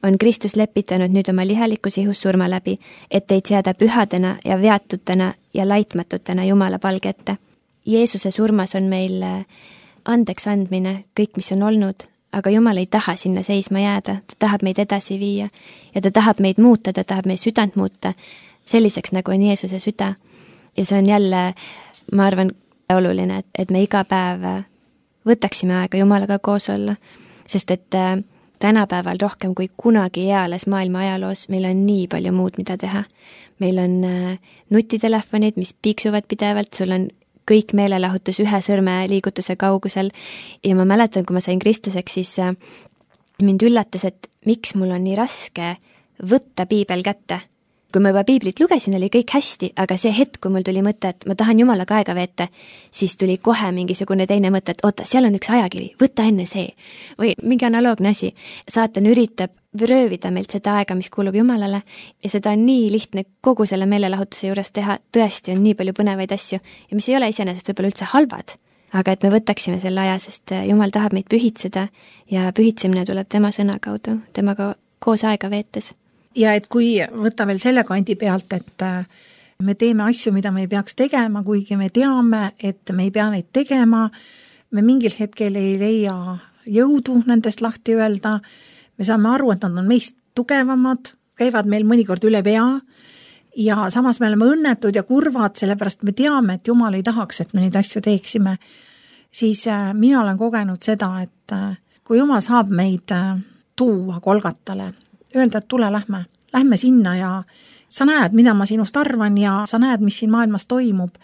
on Kristus lepitanud nüüd oma lihalikus ihus surma läbi, et teid seada pühadena ja veatutena ja laitmatutena Jumala palge ette. Jeesuse surmas on meil andeks andmine, kõik, mis on olnud, aga Jumal ei taha sinna seisma jääda, ta tahab meid edasi viia ja ta tahab meid muuta, ta tahab meie südant muuta selliseks, nagu on Jeesuse süda. Ja see on jälle, ma arvan, oluline, et, et me iga päev võtaksime aega Jumalaga koos olla, sest et tänapäeval rohkem kui kunagi eales maailma ajaloos meil on nii palju muud, mida teha. Meil on nutitelefonid, mis piiksuvad pidevalt, sul on kõik meelelahutus ühe sõrme liigutuse kaugusel ja ma mäletan, kui ma sain kristlaseks, siis mind üllatas, et miks mul on nii raske võtta piibel kätte. Kui ma juba piiblit lugesin, oli kõik hästi, aga see hetk, kui mul tuli mõte, et ma tahan Jumalaga aega veeta, siis tuli kohe mingisugune teine mõte, et oota, seal on üks ajakiri, võta enne see. Või mingi analoogne asi. Saatan üritab röövida meilt seda aega, mis kuulub Jumalale ja seda on nii lihtne kogu selle meelelahutuse juures teha. Tõesti on nii palju põnevaid asju ja mis ei ole iseenesest võib-olla üldse halvad, aga et me võtaksime selle aja, sest Jumal tahab meid pühitseda ja pühitsemine tuleb tema sõna kaudu, temaga koos aega veetes. Ja et kui võtta veel selle kandi pealt, et me teeme asju, mida me ei peaks tegema, kuigi me teame, et me ei pea neid tegema, me mingil hetkel ei leia jõudu nendest lahti öelda, me saame aru, et nad on meist tugevamad, käivad meil mõnikord üle pea ja samas me oleme õnnetud ja kurvad, sellepärast me teame, et Jumal ei tahaks, et me neid asju teeksime, siis mina olen kogenud seda, et kui Jumal saab meid tuua Golgatale, öelda, et tule, lähme, lähme sinna ja sa näed, mida ma sinust arvan ja sa näed, mis siin maailmas toimub.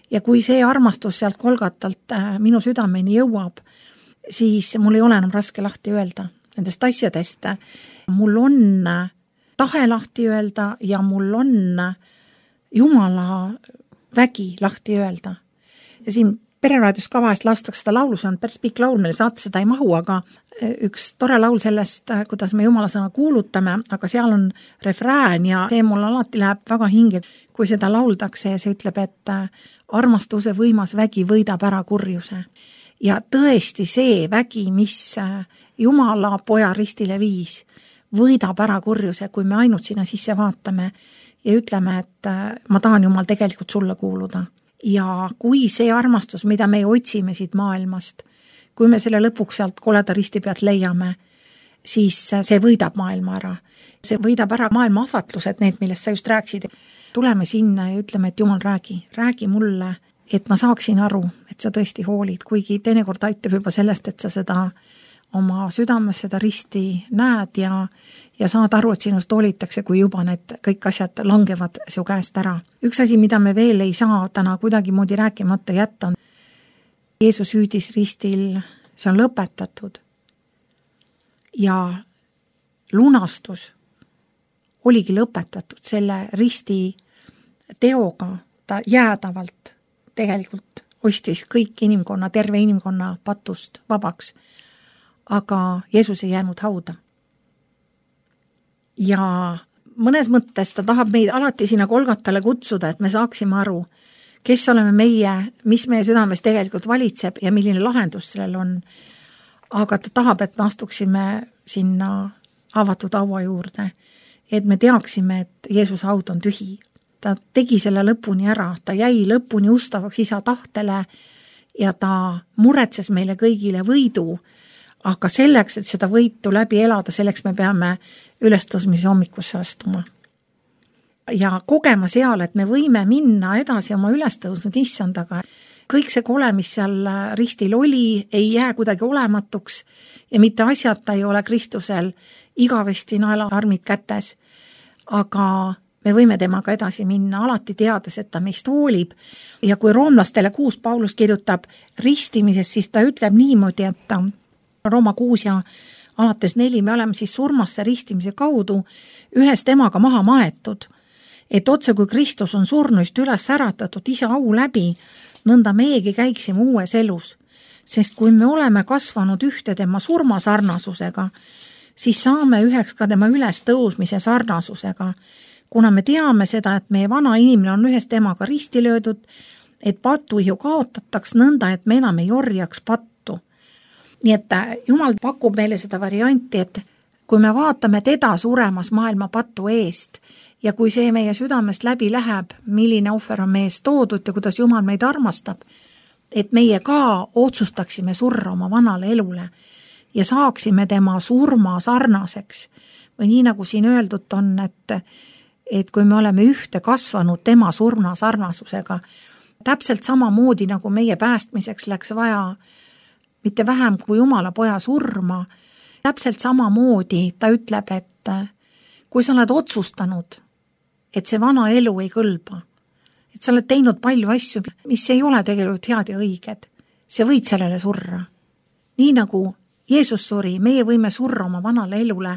Ja kui see armastus sealt Golgatalt minu südameni jõuab, siis mul ei ole enam raske lahti öelda nendest asjadest. Mul on tahe lahti öelda ja mul on Jumala vägi lahti öelda. Ja siin Pereraadios ka vahest lastakse seda laulu, see on päris pikk laul, meil saate seda ei mahu, aga üks tore laul sellest, kuidas me Jumala sõna kuulutame, aga seal on refrään ja see mul alati läheb väga hinge, kui seda lauldakse ja see ütleb, et armastuse võimas vägi võidab ära kurjuse. Ja tõesti see vägi, mis Jumala poja ristile viis, võidab ära kurjuse, kui me ainult sinna sisse vaatame ja ütleme, et ma tahan Jumal tegelikult sulle kuuluda. Ja kui see armastus, mida me otsime siit maailmast, kui me selle lõpuks sealt koleda risti pealt leiame, siis see võidab maailma ära. See võidab ära maailma ahvatlused, need, millest sa just rääksid. Tuleme sinna ja ütleme, et Jumal, räägi, räägi mulle, et ma saaksin aru, et sa tõesti hoolid, kuigi teinekord aitab juba sellest, et sa seda oma südames seda risti näed ja, ja saad aru, et sinust hoolitakse, kui juba need kõik asjad langevad su käest ära. Üks asi, mida me veel ei saa täna kuidagi moodi rääkimata jätta, on Jeesus hüüdis ristil, see on lõpetatud. Ja lunastus oligi lõpetatud selle risti teoga, ta jäädavalt tegelikult ostis kõik inimkonna, terve inimkonna patust vabaks. Aga Jeesus ei jäänud hauda. Ja mõnes mõttes ta tahab meid alati sinna Golgatale kutsuda, et me saaksime aru, kes oleme meie, mis meie südames tegelikult valitseb ja milline lahendus sellel on. Aga ta tahab, et me astuksime sinna avatud haua juurde, et me teaksime, et Jeesuse haud on tühi. Ta tegi selle lõpuni ära, ta jäi lõpuni ustavaks isa tahtele ja ta muretses meile kõigile võidu. Aga selleks, et seda võitu läbi elada, selleks me peame ülestõusmise hommikusse astuma. Ja kogema seal, et me võime minna edasi oma ülestõusnud issandaga. Kõik see kole, mis seal ristil oli, ei jää kuidagi olematuks ja mitte asjata ei ole Kristusel igavesti naelaarmid kätes. Aga me võime temaga edasi minna, alati teades, et ta meist hoolib. Ja kui roomlastele kuus Paulus kirjutab ristimisest, siis ta ütleb niimoodi, et ta Rooma kuus ja alates neli me oleme siis surmasse ristimise kaudu ühest temaga maha maetud, et otse kui Kristus on surnuist üles äratatud isa au läbi, nõnda meegi käiksime uues elus, sest kui me oleme kasvanud ühte tema surma sarnasusega, siis saame üheks ka tema üles tõusmise sarnasusega, kuna me teame seda, et meie vana inimene on ühes temaga risti löödud, et patu ju kaotataks nõnda, et me enam ei orjaks pattu. Nii et Jumal pakub meile seda varianti, et kui me vaatame teda suremas maailma patu eest ja kui see meie südamest läbi läheb, milline ohver on meie eest toodud ja kuidas Jumal meid armastab, et meie ka otsustaksime surra oma vanale elule ja saaksime tema surma sarnaseks. Või nii nagu siin öeldud on, et, et kui me oleme ühte kasvanud tema surma sarnasusega, täpselt sama moodi nagu meie päästmiseks läks vaja mitte vähem kui Jumala poja surma, täpselt samamoodi ta ütleb, et kui sa oled otsustanud, et see vana elu ei kõlba, et sa oled teinud palju asju, mis ei ole tegelikult head ja õiged, sa võid sellele surra. Nii nagu Jeesus suri, meie võime surra oma vanale elule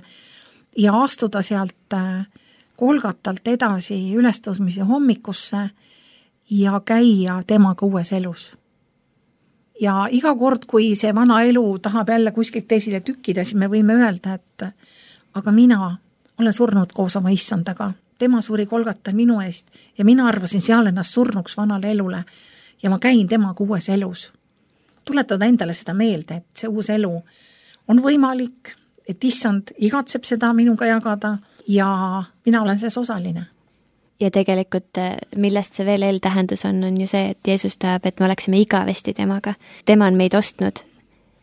ja astuda sealt Golgatalt edasi ülestõusmise hommikusse ja käia temaga uues elus. Ja iga kord, kui see vana elu tahab jälle kuskilt esile tükkida, siis me võime öelda, et aga mina olen surnud koos oma issandaga. Tema suri Golgatal minu eest ja mina arvasin seal ennast surnuks vanale elule ja ma käin temaga uues elus. Tuletada endale seda meelde, et see uus elu on võimalik, et issand igatseb seda minuga jagada ja mina olen selles osaline. Ja tegelikult, millest see veel eeltähendus on, on ju see, et Jeesus tahab, et me oleksime igavesti temaga. Tema on meid ostnud,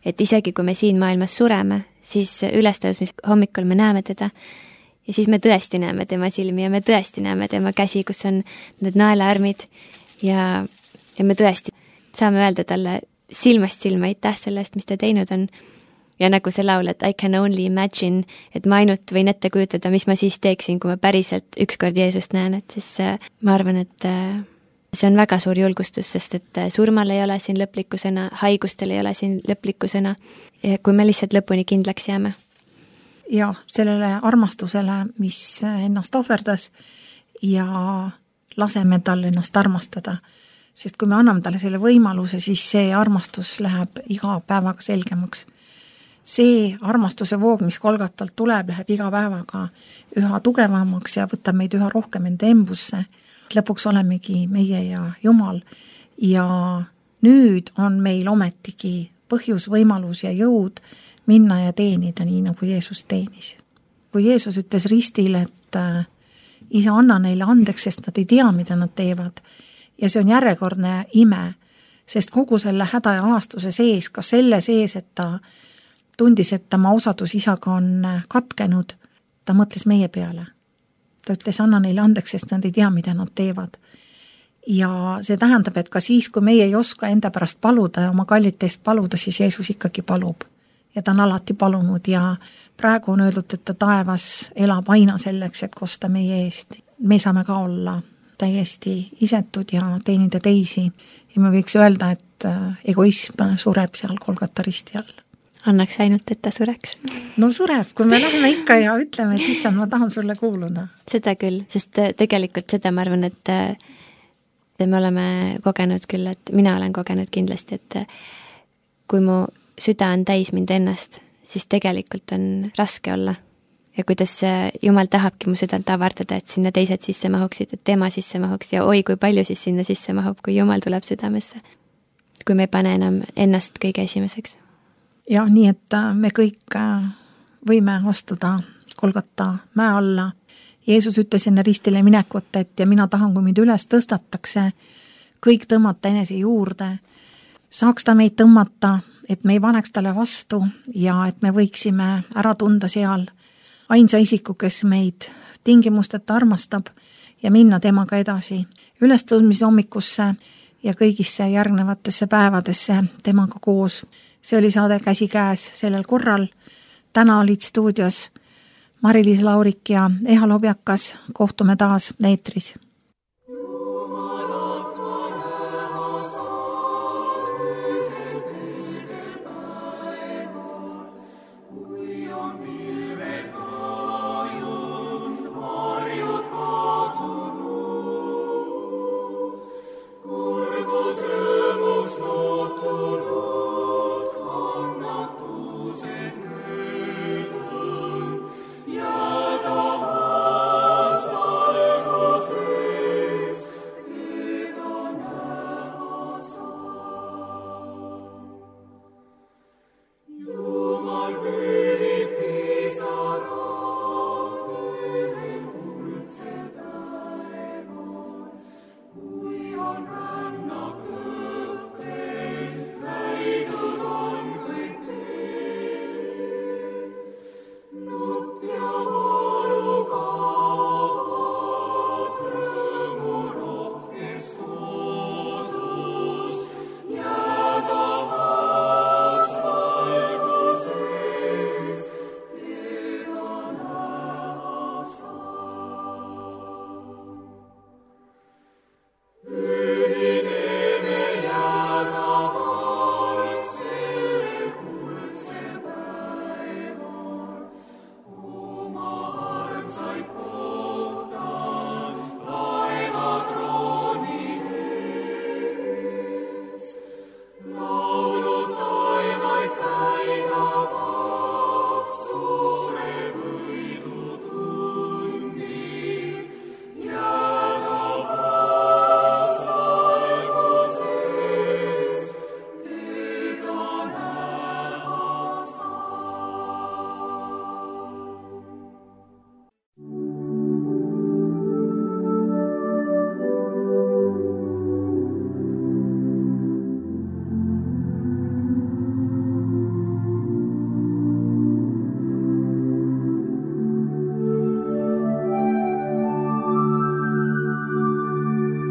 et isegi kui me siin maailmas sureme, siis ülestõusmis hommikul me näeme teda ja siis me tõesti näeme tema silmi ja me tõesti näeme tema käsi, kus on need naelaarmid ja, ja me tõesti saame öelda talle silmast silma aitäh sellest, mis ta teinud on. Ja nagu see laul, et I can only imagine, et ma ainult võin ette kujutada, mis ma siis teeksin, kui ma päriselt ükskord Jeesust näen, et siis ma arvan, et see on väga suur julgustus, sest et surmal ei ole siin lõplikku sõna, haigustel ei ole siin lõplikku sõna, kui me lihtsalt lõpuni kindlaks jääme. Ja sellele armastusele, mis ennast ohverdas ja laseme tal ennast armastada, sest kui me anname talle selle võimaluse, siis see armastus läheb iga päevaga selgemaks. See armastuse voog, mis Golgatalt tuleb, läheb iga päevaga üha tugevamaks ja võtab meid üha rohkem enda embusse. Lõpuks olemegi meie ja Jumal ja nüüd on meil ometigi põhjus, võimalus ja jõud minna ja teenida nii, nagu Jeesus teenis. Kui Jeesus ütles ristil, et isa, anna neile andeks, sest nad ei tea, mida nad teevad ja see on järjekordne ime, sest kogu selle häda ja ahastuse sees, ka selle sees, et ta tundis, et tema osadus isaga on katkenud, ta mõtles meie peale. Ta ütles, anna neile andeks, sest nad ei tea, mida nad teevad. Ja see tähendab, et ka siis, kui meie ei oska enda pärast paluda ja oma kallite eest paluda, siis Jeesus ikkagi palub. Ja ta on alati palunud ja praegu on öeldud, et ta taevas elab aina selleks, et kosta meie eest. Me saame ka olla täiesti isetud ja teenida teisi. Ja me võiks öelda, et egoism sureb seal Golgata risti all. Annaks ainult, et ta sureks. No sureb, kui me läheme ikka ja ütleme, et issand, ma tahan sulle kuuluda. Seda küll, sest tegelikult seda ma arvan, et me oleme kogenud küll, et mina olen kogenud kindlasti, et kui mu süda on täis mind ennast, siis tegelikult on raske olla. Ja kuidas Jumal tahabki mu südant avardada, et sinna teised sisse mahuksid, et tema sisse mahuks ja oi, kui palju siis sinna sisse mahub, kui Jumal tuleb südamesse. Kui me ei pane enam ennast kõige esimeseks. Ja nii, et me kõik võime astuda Golgata mäe alla. Jeesus ütles enne ristile minekut, et ja mina tahan, kui mind üles tõstatakse, kõik tõmmata enese juurde. Saaks ta meid tõmmata, et me ei paneks talle vastu ja et me võiksime ära tunda seal ainsa isiku, kes meid tingimusteta armastab ja minna temaga edasi ülestõusmise hommikusse ja kõigisse järgnevatesse päevadesse temaga koos. See oli saade Käsi käes sellel korral. Täna olid stuudios Mari-Liis Laurik ja Eha Lobjakas. Kohtume taas eetris. Ja ta vastalgus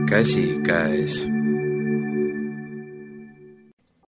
käsi käes.